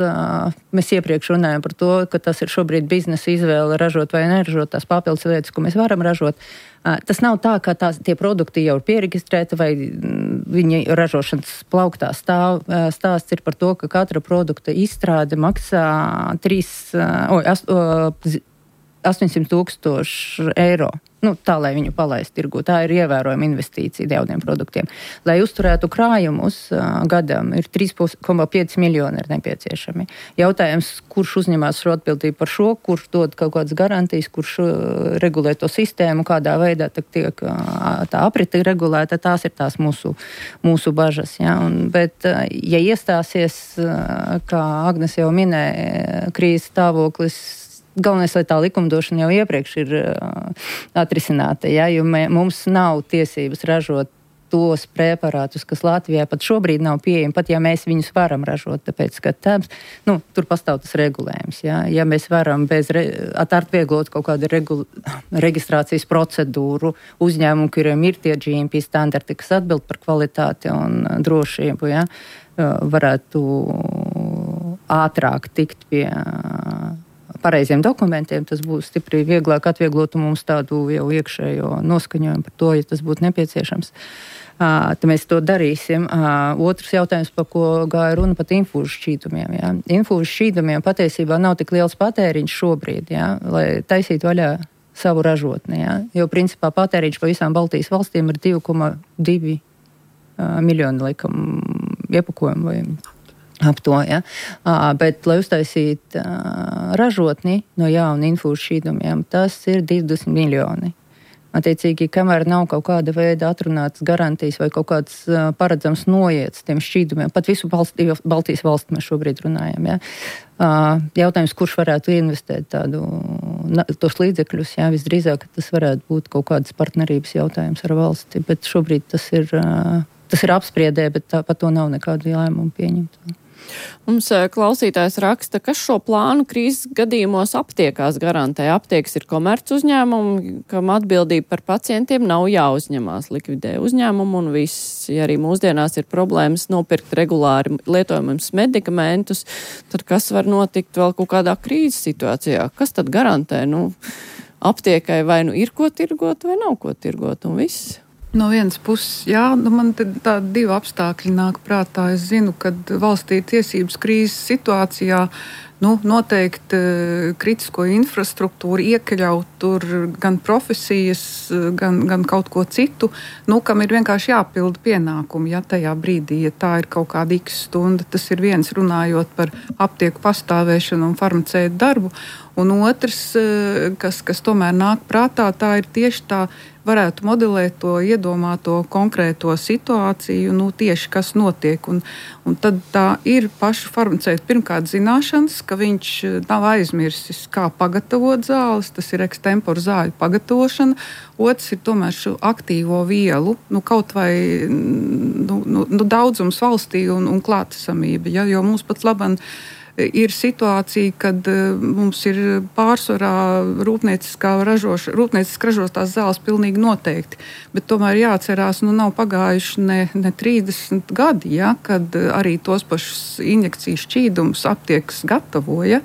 mēs iepriekš runājam par to, ka tas ir šobrīd biznesa izvēle ražot vai neražot tās papildus lietas, ko mēs varam ražot. Tas nav tā, ka tie produkti jau ir pieregistrēti vai viņa ražošanas plauktā stāv. Stāsts ir par to, ka katra produkta izstrāde maksā 800,000 eiro. Tā, lai viņu palaistu tirgu. Tā ir ievērojama investīcija jauniem produktiem. Lai uzturētu krājumus gadam, ir 3,5 miljoni ir nepieciešami. Jautājums, kurš uzņemās šo atbildību par šo, kurš dod kaut kādas garantijas, kurš regulē to sistēmu, kādā veidā tiek tā aprite regulēta, tās ir tās mūsu bažas. Ja? Bet, ja iestāsies, kā Agnes jau minēja, krīzes stāvoklis, galvenais, lai tā likumdošana jau iepriekš ir atrisināta, ja, jo mums nav tiesības ražot tos preparātus, kas Latvijā pat šobrīd nav pieejami, pat ja mēs viņus varam ražot, tāpēc, ka tur pastāv tas regulējums. Ja mēs varam atvieglot kaut kādu reģistrācijas procedūru uzņēmumu, kuriem ir tie GMP standarti, kas atbild par kvalitāti un drošību, ja, varētu ātrāk tikt pie pareiziem dokumentiem, tas būs stipri vieglāk atvieglotu mums tādu jau iekšējo noskaņojumu par to, ja tas būtu nepieciešams. Tad mēs to darīsim. Otrs jautājums, par ko gāja runa, pat infūžu šķīdumiem. Ja. Infūžu šķīdumiem patiesībā nav tik liels patēriņš šobrīd, ja, lai taisītu vaļā savu ražotni. Ja. Jo principā patēriņš pa visām Baltijas valstīm ir 2,2 miljoni laikam iepakojumu vai ap to, ja. Bet, lai uztaisītu ražotni no jauna infūžu šķīdumiem, tas ir 20 miljoni. Attiecīgi, kamēr nav kaut kāda veida atrunātas garantijas vai kaut kāds paredzams noiets tiem šķīdumiem, pat visu Baltijas valstu mēs šobrīd runājam, ja. Jautājums, kurš varētu investēt tos līdzekļus, ja, visdrīzāk, tas varētu būt kaut kādas partnerības jautājums ar valsti, bet šobrīd tas ir apspriedē, bet tāpat to nav nekādu lēmumu pieņemt. Mums klausītājs raksta, kas šo plānu krīzes gadījumos aptiekās garantē. Aptiekas ir komerc uzņēmumi, kam atbildība par pacientiem nav jāuzņemās, likvidē uzņēmumu un viss. Ja arī mūsdienās ir problēmas nopirkt regulāri lietojumus medikamentus, tad kas var notikt vēl kaut kādā krīzes situācijā? Kas tad garantē? Aptiekai vai ir ko tirgot vai nav ko tirgot un viss? No vienas puses, jā, man tādi 2 apstākļi nāk prātā. Es zinu, ka valstī ir tiesības krīzes situācijā noteikti kritisko infrastruktūru, iekļaut tur gan profesijas, gan kaut ko citu, kam ir vienkārši jāpilda pienākumi, ja tajā brīdī, ja tā ir kaut kāda x stunda, tas ir viens runājot par aptieku pastāvēšanu un farmaceitu darbu, un otrs, kas tomēr nāk prātā, tā ir tieši tā, varētu modelēt to iedomāto konkrēto situāciju, tieši kas notiek. Un tad tā ir paša farmaceita pirmkārt zināšanas, ka viņš nav aizmirsis, kā pagatavot zāles, tas ir ekstempora zāļu pagatavošana. Otrs ir tomēr šo aktīvo vielu, kaut vai daudzums valstī un klātesamība, ja, jo mums pat labam ir situācija, kad mums ir pārsvarā rūpnieciski ražotās zāles pilnīgi noteikti. Bet tomēr jāatcerās, nav pagājuši ne 30 gadi, ja, kad arī tos pašus injekciju šķīdumus aptiekas gatavoja.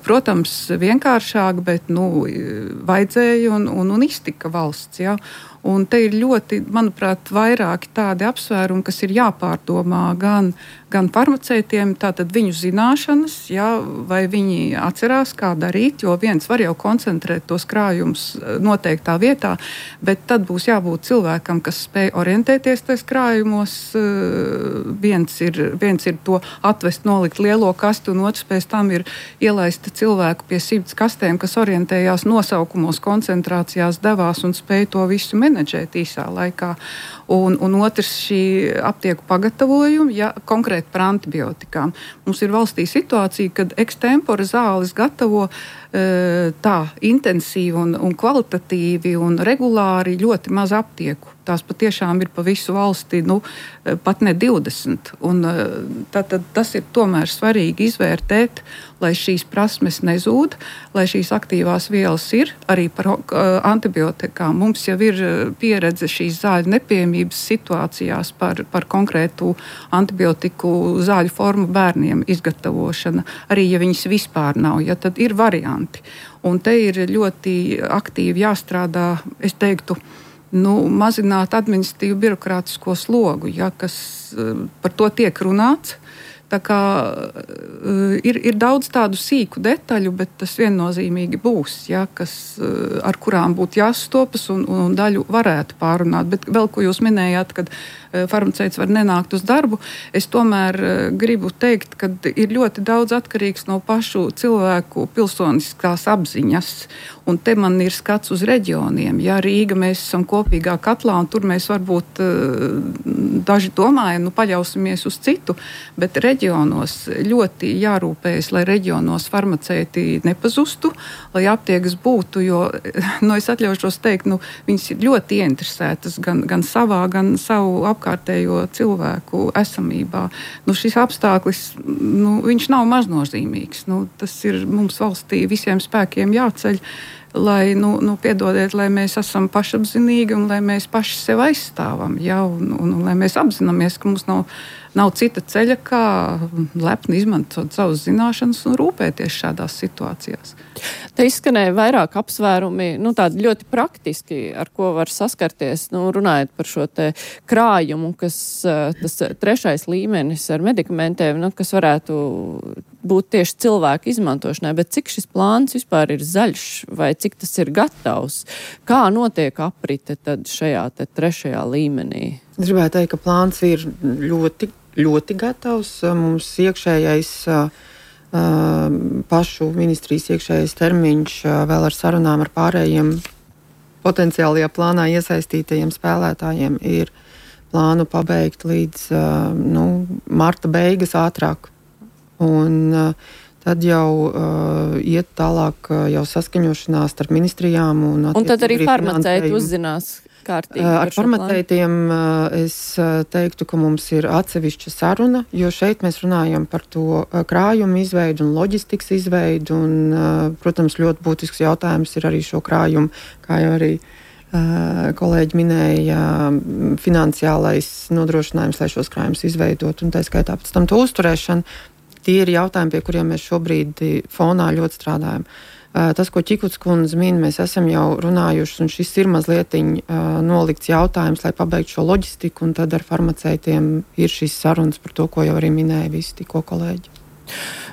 Protams, vienkāršāk, bet vajadzēja un iztika valsts. Ja. Un te ir ļoti, manuprāt, vairāki tādi apsvērumi, kas ir jāpārdomā gan farmaceitiem, tātad viņu zināšanas, ja, vai viņi atcerās, kā darīt, jo viens var jau koncentrēt tos krājumus noteiktā vietā, bet tad būs jābūt cilvēkam, kas spēj orientēties tais krājumos. Viens ir to atvest, nolikt lielo kasti, un otrs pēc tam ir ielaist cilvēku pie 100 kastēm, kas orientējās nosaukumos, koncentrācijās, devās un spēj to visu menedžēt īsā laikā. Un otrs šī aptieku pagatavojuma, ja konkrēti par antibiotikām. Mums ir valstī situācija, kad ekstempora zāles gatavo tā intensīvi un kvalitatīvi un regulāri ļoti maz aptieku. Tās patiešām ir pa visu valsti, pat ne 20. Un tātad tas ir tomēr svarīgi izvērtēt, lai šīs prasmes nezūd, lai šīs aktīvās vielas ir arī par antibiotikām. Mums jau ir pieredze šīs zāļu nepiemības situācijās par konkrētu antibiotiku zāļu formu bērniem izgatavošana. Arī, ja viņas vispār nav, ja tad ir varianti. Un te ir ļoti aktīvi jāstrādā, es teiktu, mazināt administratīvu birokrātisko slogu, ja, kas par to tiek runāts. Tā kā ir daudz tādu sīku detaļu, bet tas viennozīmīgi būs, ja, ar kurām būtu jāstopas un daļu varētu pārunāt. Bet vēl, ko jūs minējāt, kad farmaceits var nenākt uz darbu, es tomēr gribu teikt, ka ir ļoti daudz atkarīgs no pašu cilvēku pilsoniskās apziņas. Un te man ir skats uz reģioniem. Ja Rīga mēs esam kopīgā katlā, un tur mēs varbūt daži domājam, paļausimies uz citu, bet reģionos ļoti jārūpējas, lai reģionos farmaceiti nepazustu, lai aptiekas būtu, jo, es atļaušos teikt, viņas ir ļoti ieinteresētas gan savā, gan savu apkārtējo cilvēku esamībā. Šis apstākļis, viņš nav maznozīmīgs. Tas ir mums valstī visiem spēkiem jāceļ, lai, piedodiet, lai mēs esam pašapzinīgi un lai mēs paši sev aizstāvam, ja, un lai mēs apzināmies, ka mums nav cita ceļa, kā lepni izmantot savas zināšanas un rūpēties šādās situācijās. Te izskanēja vairāk apsvērumi, tādi ļoti praktiski, ar ko var saskarties, runājot par šo te krājumu, kas tas 3. līmenis ar medikamentiem, kas varētu būt tieši cilvēku izmantošanai, bet cik šis plāns vispār ir zaļš vai cik tas ir gatavs? Kā notiek aprite tad šajā te 3. līmenī? Es gribētu teikt, ka plāns ir ļoti, ļoti gatavs. Mums iekšējais pašu ministrijas iekšējais termiņš vēl ar sarunām ar pārējiem potenciālajā plānā iesaistītajiem spēlētājiem ir plānu pabeigt līdz marta beigas ātrāk. Un tad jau iet tālāk jau saskaņošanās starp ministrijām. Un tad arī farmaceiti uzzinās kārtīgi. Ar farmaceitiem es teiktu, ka mums ir atsevišķa saruna, jo šeit mēs runājam par to krājumu izveidu un loģistikas izveidu. Un, protams, ļoti būtisks jautājums ir arī šo krājumu, kā jau arī kolēģi minēja, finansiālais nodrošinājums, lai šos krājumus izveidot, un tā skaitā pēc tam to uzturēšanu. Tie ir jautājumi, pie kuriem mēs šobrīd fonā ļoti strādājam. Tas, ko Čikuts kundze min, mēs esam jau runājuši, un šis ir mazliet nolikts jautājums, lai pabeigtu šo loģistiku, un tad ar farmaceitiem ir šīs sarunas par to, ko jau arī minēja visi tikko kolēģi.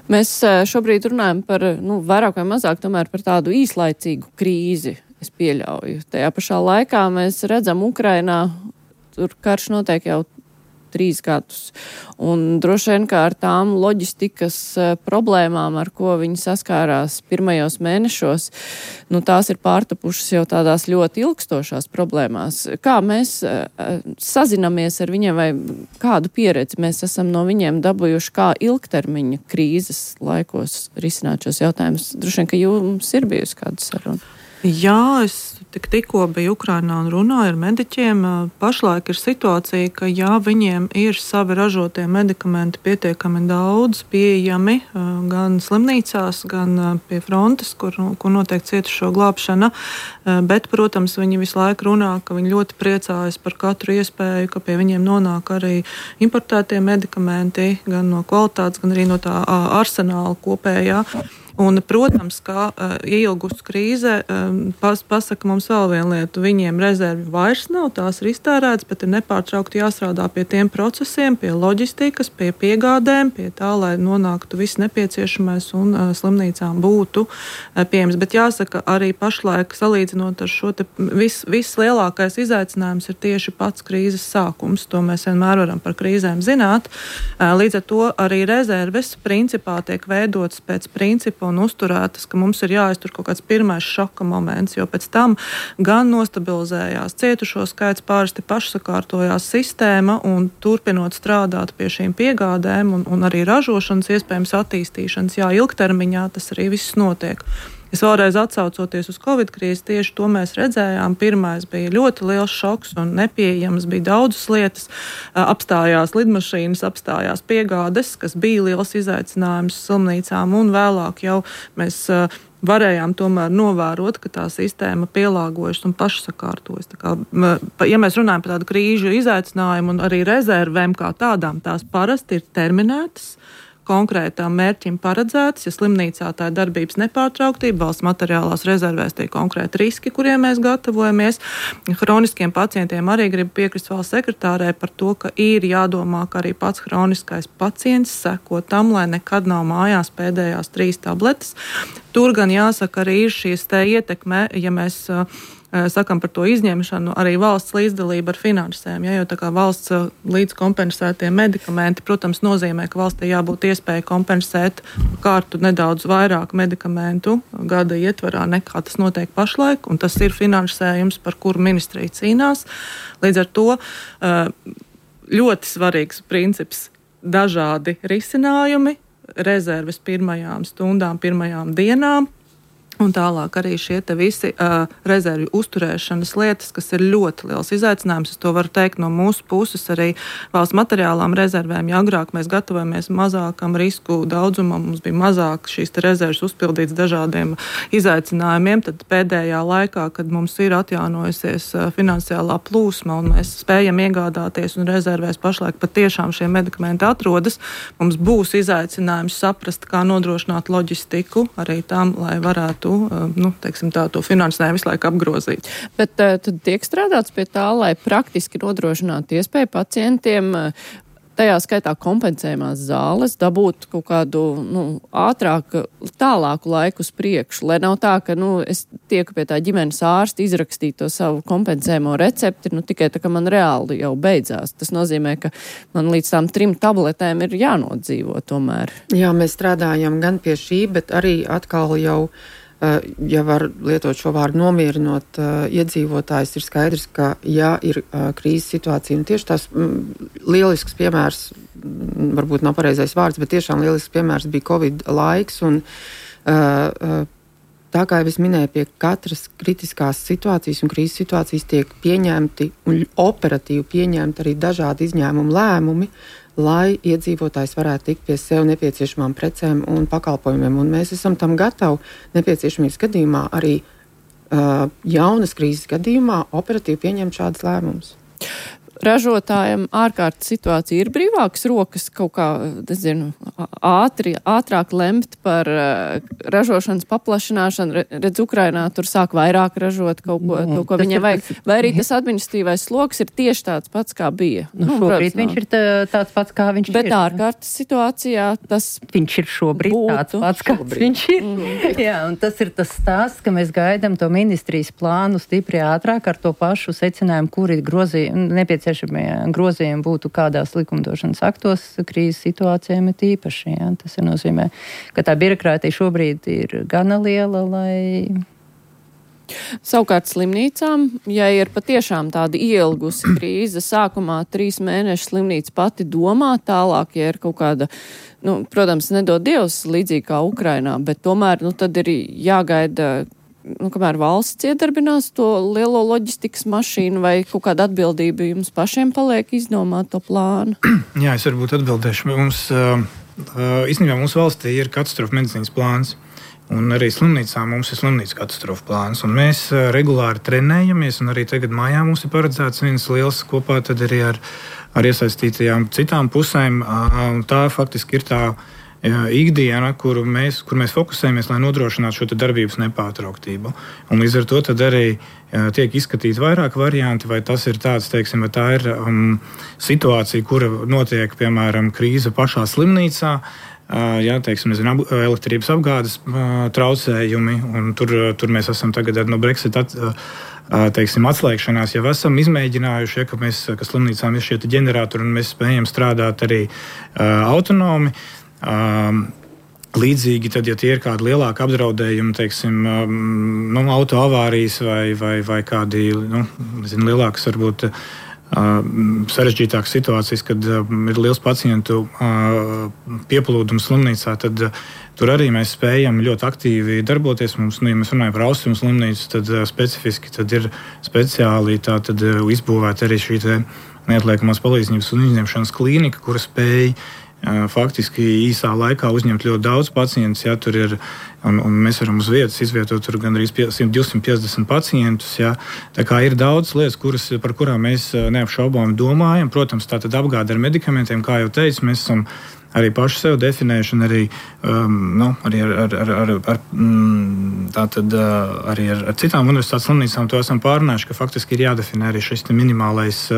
Mēs šobrīd runājam par, vairāk vai mazāk tomēr par tādu īslaicīgu krīzi, es pieļauju. Tajā pašā laikā mēs redzam Ukrainā, tur karš notiek jau 3 gadus. Un droši vien, kā ar tām loģistikas problēmām, ar ko viņi saskārās pirmajos mēnešos, tās ir pārtapušas jau tādās ļoti ilgstošās problēmās. Kā mēs sazinamies ar viņiem vai kādu pieredzi mēs esam no viņiem dabūjuši, kā ilgtermiņa krīzes laikos risināt šos jautājumus? Droši vien, ka jums ir bijusi kāda saruna. Jā, es tikko biju Ukrainā un runāju ar mediķiem. Pašlaik ir situācija, ka viņiem ir savi ražotie medikamenti pietiekami daudz pieejami gan slimnīcās, gan pie frontes, kur notiek cietušo glābšana. Bet, protams, viņi visu laiku runā, ka viņi ļoti priecājas par katru iespēju, ka pie viņiem nonāk arī importētie medikamenti, gan no kvalitātes, gan arī no tā arsenāla kopējā. Un, protams, kā ieilgus krīze pasaka mums vēl vienu lietu. Viņiem rezervi vairs nav, tās ir iztērētas, bet ir nepārtraukti jāstrādā pie tiem procesiem, pie loģistikas, pie piegādēm, pie tā, lai nonāktu viss nepieciešamais un slimnīcām būtu pieejams. Bet jāsaka, arī pašlaik salīdzinot ar šo te vislielākais izaicinājums ir tieši pats krīzes sākums. To mēs vienmēr varam par krīzēm zināt. Līdz ar to arī rezerves principā tiek veidotas pēc principa un uzturētas, ka mums ir jāiztur kaut kāds pirmais šoka moments, jo pēc tam gan nostabilizējās cietušo skaits, pārsti pašsakārtojās sistēma un turpinot strādāt pie šīm piegādēm un arī ražošanas iespējams attīstīšanas, ilgtermiņā tas arī viss notiek. Es vēlreiz atsaucoties uz Covid krīzi, tieši to mēs redzējām. Pirmais bija ļoti liels šoks un nepieejams, bija daudzas lietas. Apstājās lidmašīnas, apstājās piegādes, kas bija liels izaicinājums slimnīcām, un vēlāk jau mēs varējām tomēr novērot, ka tā sistēma pielāgojas un pašsakārtojas. Ja mēs runājam par tādu krīžu izaicinājumu un arī rezervēm kā tādām, tās parasti ir terminētas, konkrētām mērķim paredzētas, ja slimnīcā tā ir darbības nepārtrauktība, valsts materiālās rezervēs tie konkrēti riski, kuriem mēs gatavojamies. Hroniskiem pacientiem arī gribu piekrist valsts sekretārē par to, ka ir jādomā, ka arī pats hroniskais pacients seko tam, lai nekad nav mājās pēdējās 3 tabletes. Tur gan jāsaka, arī ir šīs te ietekme, ja mēs sakam par to izņemšanu, arī valsts līdzdalība ar finansēm. Jo tā kā valsts līdzkompensētie medikamenti, protams, nozīmē, ka valstī jābūt iespēja kompensēt kārtu nedaudz vairāk medikamentu gada ietvarā nekā tas notiek pašlaik, un tas ir finansējums, par kuru ministrija cīnās. Līdz ar to ļoti svarīgs princips - dažādi risinājumi, rezerves pirmajām stundām, pirmajām dienām. Un tālāk arī šie te visi rezervju uzturēšanas lietas, kas ir ļoti liels izaicinājums. Es to varu teikt no mūsu puses arī valsts materiālām rezervēm. Ja agrāk mēs gatavojamies mazākam risku daudzumam, mums bija mazāk šīs te rezerves uzpildīts dažādiem izaicinājumiem, tad pēdējā laikā, kad mums ir atjaunojusies finansiālā plūsma un mēs spējam iegādāties un rezervēs pašlaik patiešām šie medikamenti atrodas, mums būs izaicinājums saprast, kā nodrošināt loģistiku arī tam, lai varētu to finansējumu visu laiku apgrozīt. Bet tad tiek strādāts pie tā, lai praktiski nodrošinātu iespēju pacientiem, tajā skaitā kompensējumās zāles, dabūt kaut kādu ātrāku, tālāku laiku uz priekšu, lai nav tā, ka es tieku pie tā ģimenes ārsta izrakstīt to savu kompensējumu recepti, tikai tā, ka man reāli jau beidzās. Tas nozīmē, ka man līdz tām 3 tabletēm ir jānodzīvo tomēr. Jā, mēs strādājam gan pie šī, bet arī atkal jau ja var lietot šo vārdu nomierinot iedzīvotājus, ir skaidrs, ka ir krīzes situācija. Un tieši tās lielisks piemērs, varbūt nav pareizais vārds, bet tiešām lielisks piemērs bija Covid laiks. Un, tā kā jau es minēju, pie katras kritiskās situācijas un krīzes situācijas tiek pieņemti un operatīvi pieņemti arī dažādi izņēmumu lēmumi, lai iedzīvotājs varētu tikt pie sev nepieciešamām precēm un pakalpojumiem. Un mēs esam tam gatavi nepieciešamības gadījumā arī jaunas krīzes gadījumā operatīvi pieņemt šādas lēmumus. ražotājiem ārkārtas situācija ir brīvākas rokas kaut kā, nezinu, ātrāk lemt par ražošanas paplašināšanu. Redz, Ukrainā tur sāk vairāk ražot kaut ko, to, ko viņiem vajag. Vai arī tas administratīvais sloks ir tieši tāds pats, kā bija? Šobrīd viņš ir tāds pats, kā viņš bet ir. Bet ārkārtas situācijā tas viņš ir šobrīd tāds pats, kāds viņš ir. Jā, un tas ir tas stāsts, ka mēs gaidām to ministrijas plānu stipri ātrāk ar to pašu secinājumu, kuri nepieciešamie grozījumi būtu kādās likumdošanas aktos krīzes situācijām ir īpaši. Jā. Tas ir nozīmē, ka tā birokrātija šobrīd ir gana liela, lai... Savukārt slimnīcām, ja ir patiešām tāda ielgusi krīze, sākumā 3 mēneši slimnīca pati domā, tālāk, ja ir kaut kāda, protams, nedod Dievs līdzīgi kā Ukrainā, bet tomēr, tad ir jāgaida, kamēr valsts iedarbinās to lielo loģistikas mašīnu, vai kaut kāda atbildība jums pašiem paliek izdomāt to plānu? Jā, es varbūt atbildēšu. Īstenībā mūsu valstī ir katastrofa medicīnas plāns. Un arī slimnīcām mums ir slimnīca katastrofa plāns. Un mēs regulāri trenējamies, un arī tagad mājā mums ir paredzēts viens liels kopā tad arī ar iesaistītajām citām pusēm. Tā faktiski ir tā ikdiena, kur mēs fokusējamies, lai nodrošinātu šo darbības nepārtrauktību. Un līdz ar to tad arī tiek izskatīti vairāk varianti, vai tas ir tāds, teiksim, vai tā ir situācija, kura notiek, piemēram, krīze pašā slimnīcā, teiksim, elektrības apgādes traucējumi, un tur mēs esam tagad no Brexit atslēgšanās jau esam izmēģinājuši, ka slimnīcām ir šie ģeneratori, un mēs spējam strādāt arī autonomi. Līdzīgi, tad, ja tie ir kādi lielāki apdraudējumi, teiksim, autoavārijas vai kādi, lielākas varbūt sarežģītākas situācijas, kad ir liels pacientu pieplūdums slimnīcā, tad tur arī mēs spējam ļoti aktīvi darboties. Mums, ja mēs runājam par Austrumu slimnīcu, tad specifiski tad ir speciāli izbūvēta arī šī neatliekamās palīdzības un izņemšanas klīnika, kura spēj faktiski īsā laikā uzņemt ļoti daudz pacientus. Ja, tur ir, un mēs varam uz vietas izvietot tur gandrīz 250 pacientus. Ja. Tā kā ir daudz lietas, par kurām mēs neapšaubām domājam. Protams, tā tad apgāde ar medikamentiem, kā jau teicu, mēs esam arī paši sev definējuši, un arī ar citām universitātes slimnīcām to esam pārunājuši, ka faktiski ir jādefinē arī šis minimālais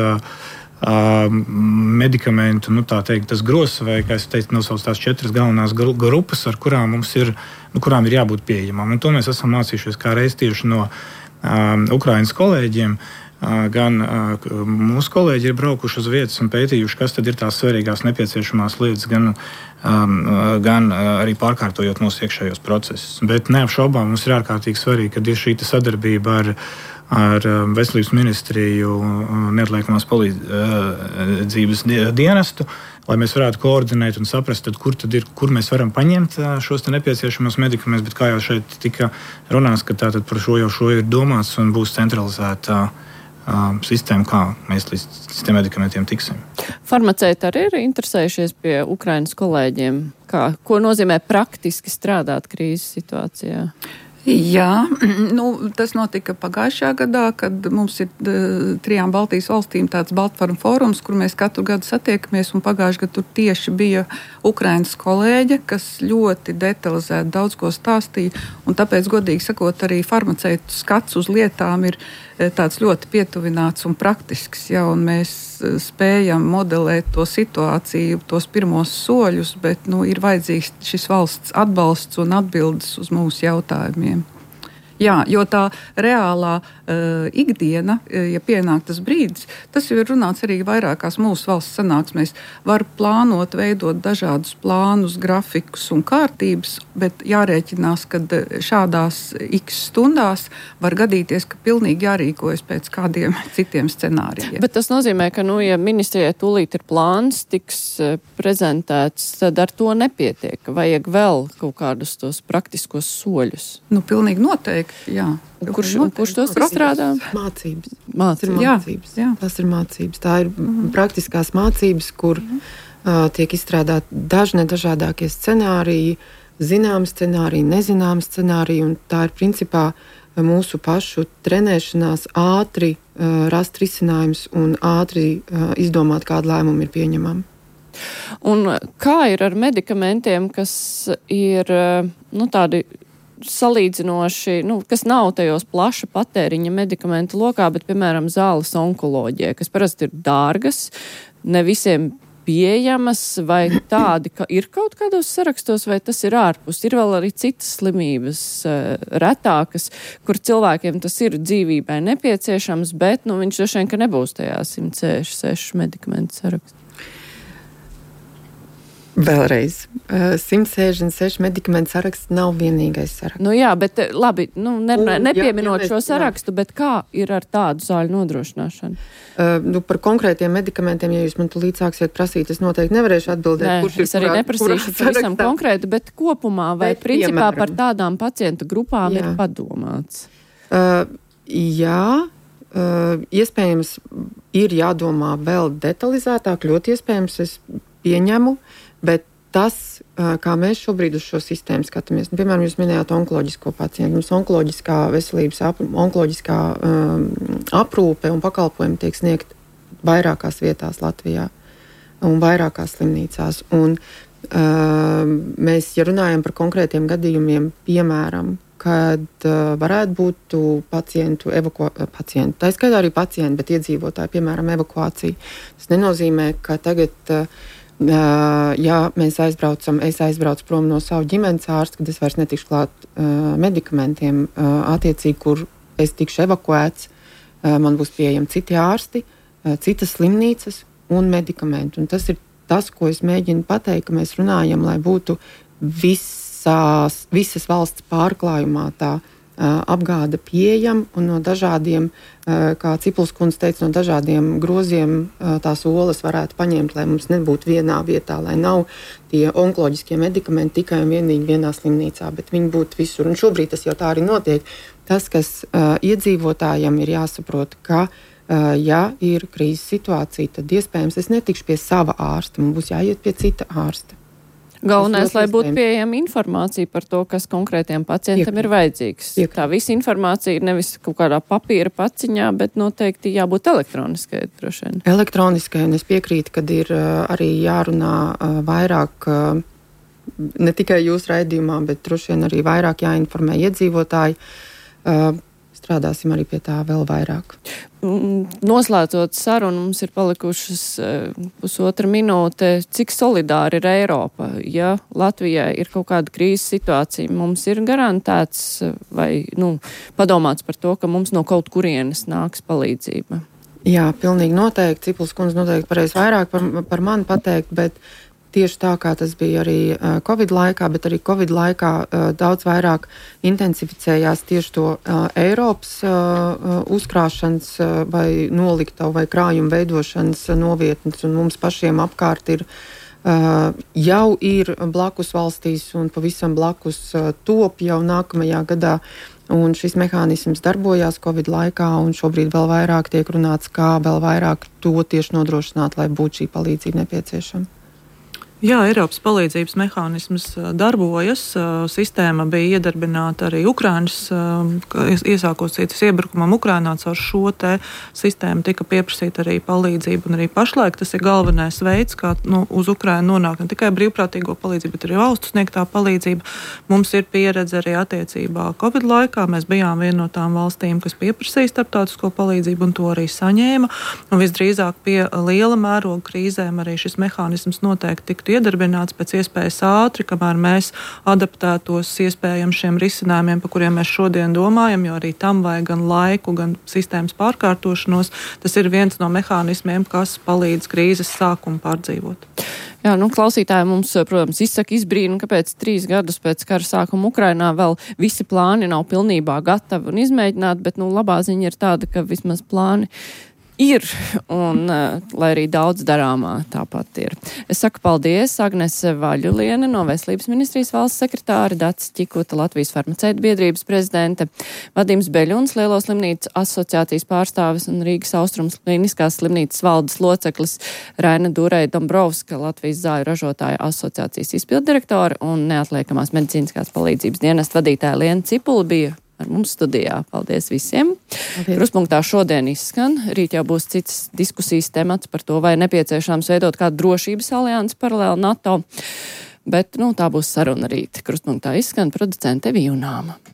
medikamentu, tas grozs, vai, kā es teicu, nosauc tās 4 galvenās grupas, ar kurām mums ir, kurām ir jābūt pieejamām. Un to mēs esam mācījušies kā reiz tieši no Ukrainas kolēģiem. Gan mūsu kolēģi ir braukuši uz vietas un pētījuši, kas tad ir tās svarīgās nepieciešamās lietas, gan arī pārkārtojot mūsu iekšējos procesus. Bet neapšaubām mums ir ārkārtīgi svarīgi, kad ir šī sadarbība ar veselības ministriju neatliekamās palīdzības dienestu, lai mēs varētu koordinēt un saprast, kur mēs varam paņemt šos nepieciešamos medikamentus, bet kā jau šeit tika runāts, ka tātad par šo ir domāts un būs centralizēta sistēma, kā mēs līdz tiem medikamentiem tiksim. Farmaceiti arī ir interesējušies pie Ukrainas kolēģiem. Ko nozīmē praktiski strādāt krīzes situācijā? Jā, tas notika pagājušajā gadā, kad mums ir 3 Baltijas valstīm tāds Baltforum fórums, kur mēs katru gadu satiekamies, un pagājušajā gadā tur tieši bija Ukrainas kolēģe, kas ļoti detalizēti daudz ko stāstīja, un tāpēc, godīgi sakot, arī farmaceitu skats uz lietām ir tāds ļoti pietuvināts un praktisks, ja, un mēs spējam modelēt to situāciju, tos pirmos soļus, bet ir vajadzīgs šis valsts atbalsts un atbildes uz mūsu jautājumiem. Jā, jo tā reālā ikdiena, ja pienāk tas brīdis, tas jau ir runāts arī vairākās mūsu valsts sanāksmēs, var plānot, veidot dažādus plānus, grafikus un kārtības, bet jārēķinās, ka šādās x stundās var gadīties, ka pilnīgi jārīkojas pēc kādiem citiem scenārijiem. Bet tas nozīmē, ka, ja ministrijai tūlīt ir plāns, tiks prezentēts, tad ar to nepietiek. Vajag vēl kaut kādus tos praktiskos soļus. Pilnīgi noteikti, jā. Kurš tos izstrādā? Mācības. Jā. Tas ir mācības. Tā ir praktiskās mācības, kur tiek izstrādāti dažādākie scenāriji, zināmi scenāriji, nezināmi scenāriji, un tā ir principā mūsu pašu trenēšanās ātri rast risinājums un ātri izdomāt, kādu lēmumu ir pieņemami. Un kā ir ar medikamentiem, kas ir tādi salīdzinoši, kas nav tajos plaša patēriņa medikamentu lokā, bet, piemēram, zāles onkoloģijai, kas parasti ir dārgas, ne visiem pieejamas, vai tādi, ka ir kaut kādos sarakstos, vai tas ir ārpus? Ir vēl arī citas slimības retākas, kur cilvēkiem tas ir dzīvībai nepieciešams, bet viņš droši vien, ka nebūs tajā 166 medikamentu sarakstā. Vēlreiz, 166 medikamentu saraksts nav vienīgais saraksts. Jā, bet labi, nepieminot šo sarakstu, bet kā ir ar tādu zāļu nodrošināšanu? Par konkrētiem medikamentiem, ja jūs man tulīt sāksiet prasīt, es noteikti nevarēšu atbildēt. Nē, es arī neprasīšu pavisam konkrēti, bet kopumā vai principā piemēram, par tādām pacientu grupām ir padomāts? Jā. Iespējams, ir jādomā vēl detalizētāk, ļoti iespējams, es pieņemu, bet tas, kā mēs šobrīd uz šo sistēmu skatāmies, piemēram, jūs minējāt onkoloģisko pacientu, mums onkoloģiskā veselības, onkoloģiskā aprūpe un pakalpojumi tiek sniegt vairākās vietās Latvijā un vairākās slimnīcās. Un mēs, ja runājam par konkrētiem gadījumiem, piemēram, kad varētu būt pacientu, tā skaitā arī pacienti, bet iedzīvotāji, piemēram, evakuācija. Tas nenozīmē, ka tagad, ja es aizbraucu prom no savu ģimenes ārsta, kad es vairs netikšu klāt medikamentiem, attiecīgi, kur es tikšu evakuēts, man būs pieejami citi ārsti, citas slimnīcas un medikamenti. Un tas ir tas, ko es mēģinu pateikt, ka mēs runājam, lai būtu visas valsts pārklājumā tā apgāde pieejama un no dažādiem, kā Cipuls kundze teica, no dažādiem groziem tās olas varētu paņemt, lai mums nebūtu vienā vietā, lai nav tie onkoloģiskie medikamenti tikai un vienīgi vienā slimnīcā, bet viņi būtu visur. Un šobrīd tas jau tā arī notiek. Tas, kas iedzīvotājiem ir jāsaprot, ka ja ir krīzes situācija, tad iespējams es netikšu pie sava ārsta, man būs jāiet pie cita ārsta. Galvenais, lai būtu pieejama informācija par to, kas konkrētiem pacientam ir vajadzīgs. Tā visa informācija ir nevis kaut kādā papīra paciņā, bet noteikti jābūt elektroniskai droši vien. Elektroniskai, un es piekrītu, kad ir arī jārunā vairāk, ne tikai jūsu raidījumā, bet droši vien arī vairāk jāinformē iedzīvotāji. Strādāsim arī pie tā vēl vairāk. Noslēdzot sarunu, mums ir palikušas pusotra minūte. Cik solidāri ir Eiropa? Ja Latvijai ir kaut kāda krīzes situācija, mums ir garantēts vai padomāts par to, ka mums no kaut kurienes nāks palīdzība? Jā, pilnīgi noteikti. Cipuls kundze noteikti varēs vairāk par mani pateikt, bet tieši tā, kā tas bija arī Covid laikā, bet arī Covid laikā daudz vairāk intensificējās tieši to Eiropas uzkrāšanas vai noliktavu vai krājumu veidošanas novietnes, un mums pašiem apkārt ir jau ir blakus valstīs un pavisam blakus top jau nākamajā gadā, un šis mehānisms darbojās Covid laikā, un šobrīd vēl vairāk tiek runāts, kā vēl vairāk to tieši nodrošināt, lai būtu šī palīdzība nepieciešama. Jā, Eiropas palīdzības mehānisms darbojas. Sistēma bija iedarbināta arī Ukrainas, iesākot cītas iebrukumam Ukrainā, caur šo te sistēmu tika pieprasīta arī palīdzība, un arī pašlaik tas ir galvenais veids, kā uz Ukrainu nonāk ne tikai brīvprātīgo palīdzību, bet arī valstu sniegtā palīdzība. Mums ir pieredze arī attiecībā Covid laikā. Mēs bijām viena no tām valstīm, kas pieprasīja starptautisko palīdzību un to arī saņēma. Un visdrīzāk pie liela mēroga krīzēm arī šis mehānisms noteikti tiktu iedarbināts pēc iespējas ātri, kamēr mēs adaptētos iespējami šiem risinājumiem, par kuriem mēs šodien domājam, jo arī tam vajag gan laiku, gan sistēmas pārkārtošanos. Tas ir viens no mehānismiem, kas palīdz krīzes sākumu pārdzīvot. Jā, klausītāji mums, protams, izsaka izbrīnu, kāpēc 3 gadus pēc kara sākuma Ukrainā vēl visi plāni nav pilnībā gatavi un izmēģināti, bet labā ziņa ir tāda, ka vismaz plāni ir, un lai arī daudz darāmā tāpat ir. Es saku paldies Agnese Vaļuliene no Veselības ministrijas valsts sekretāri, Dacis Ķikuta, Latvijas farmaceitu biedrības prezidente, Vadims Beļuns, Lielo slimnīcu asociācijas pārstāvis un Rīgas Austrums kliniskās slimnīcas valdes loceklis, Raina Durei Dombrovska, Latvijas zāļu ražotāju asociācijas izpilddirektora un neatliekamās medicīniskās palīdzības dienesta vadītāja Liena Cipula bija ar mums studijā. Paldies visiem! Krustpunktā šodien izskan. Rīt jau būs cits diskusijas temats par to, vai nepieciešams veidot kādu drošības aliansi paralēli NATO. Bet, tā būs saruna rīt. Krustpunktā izskan producente Evija Junāma.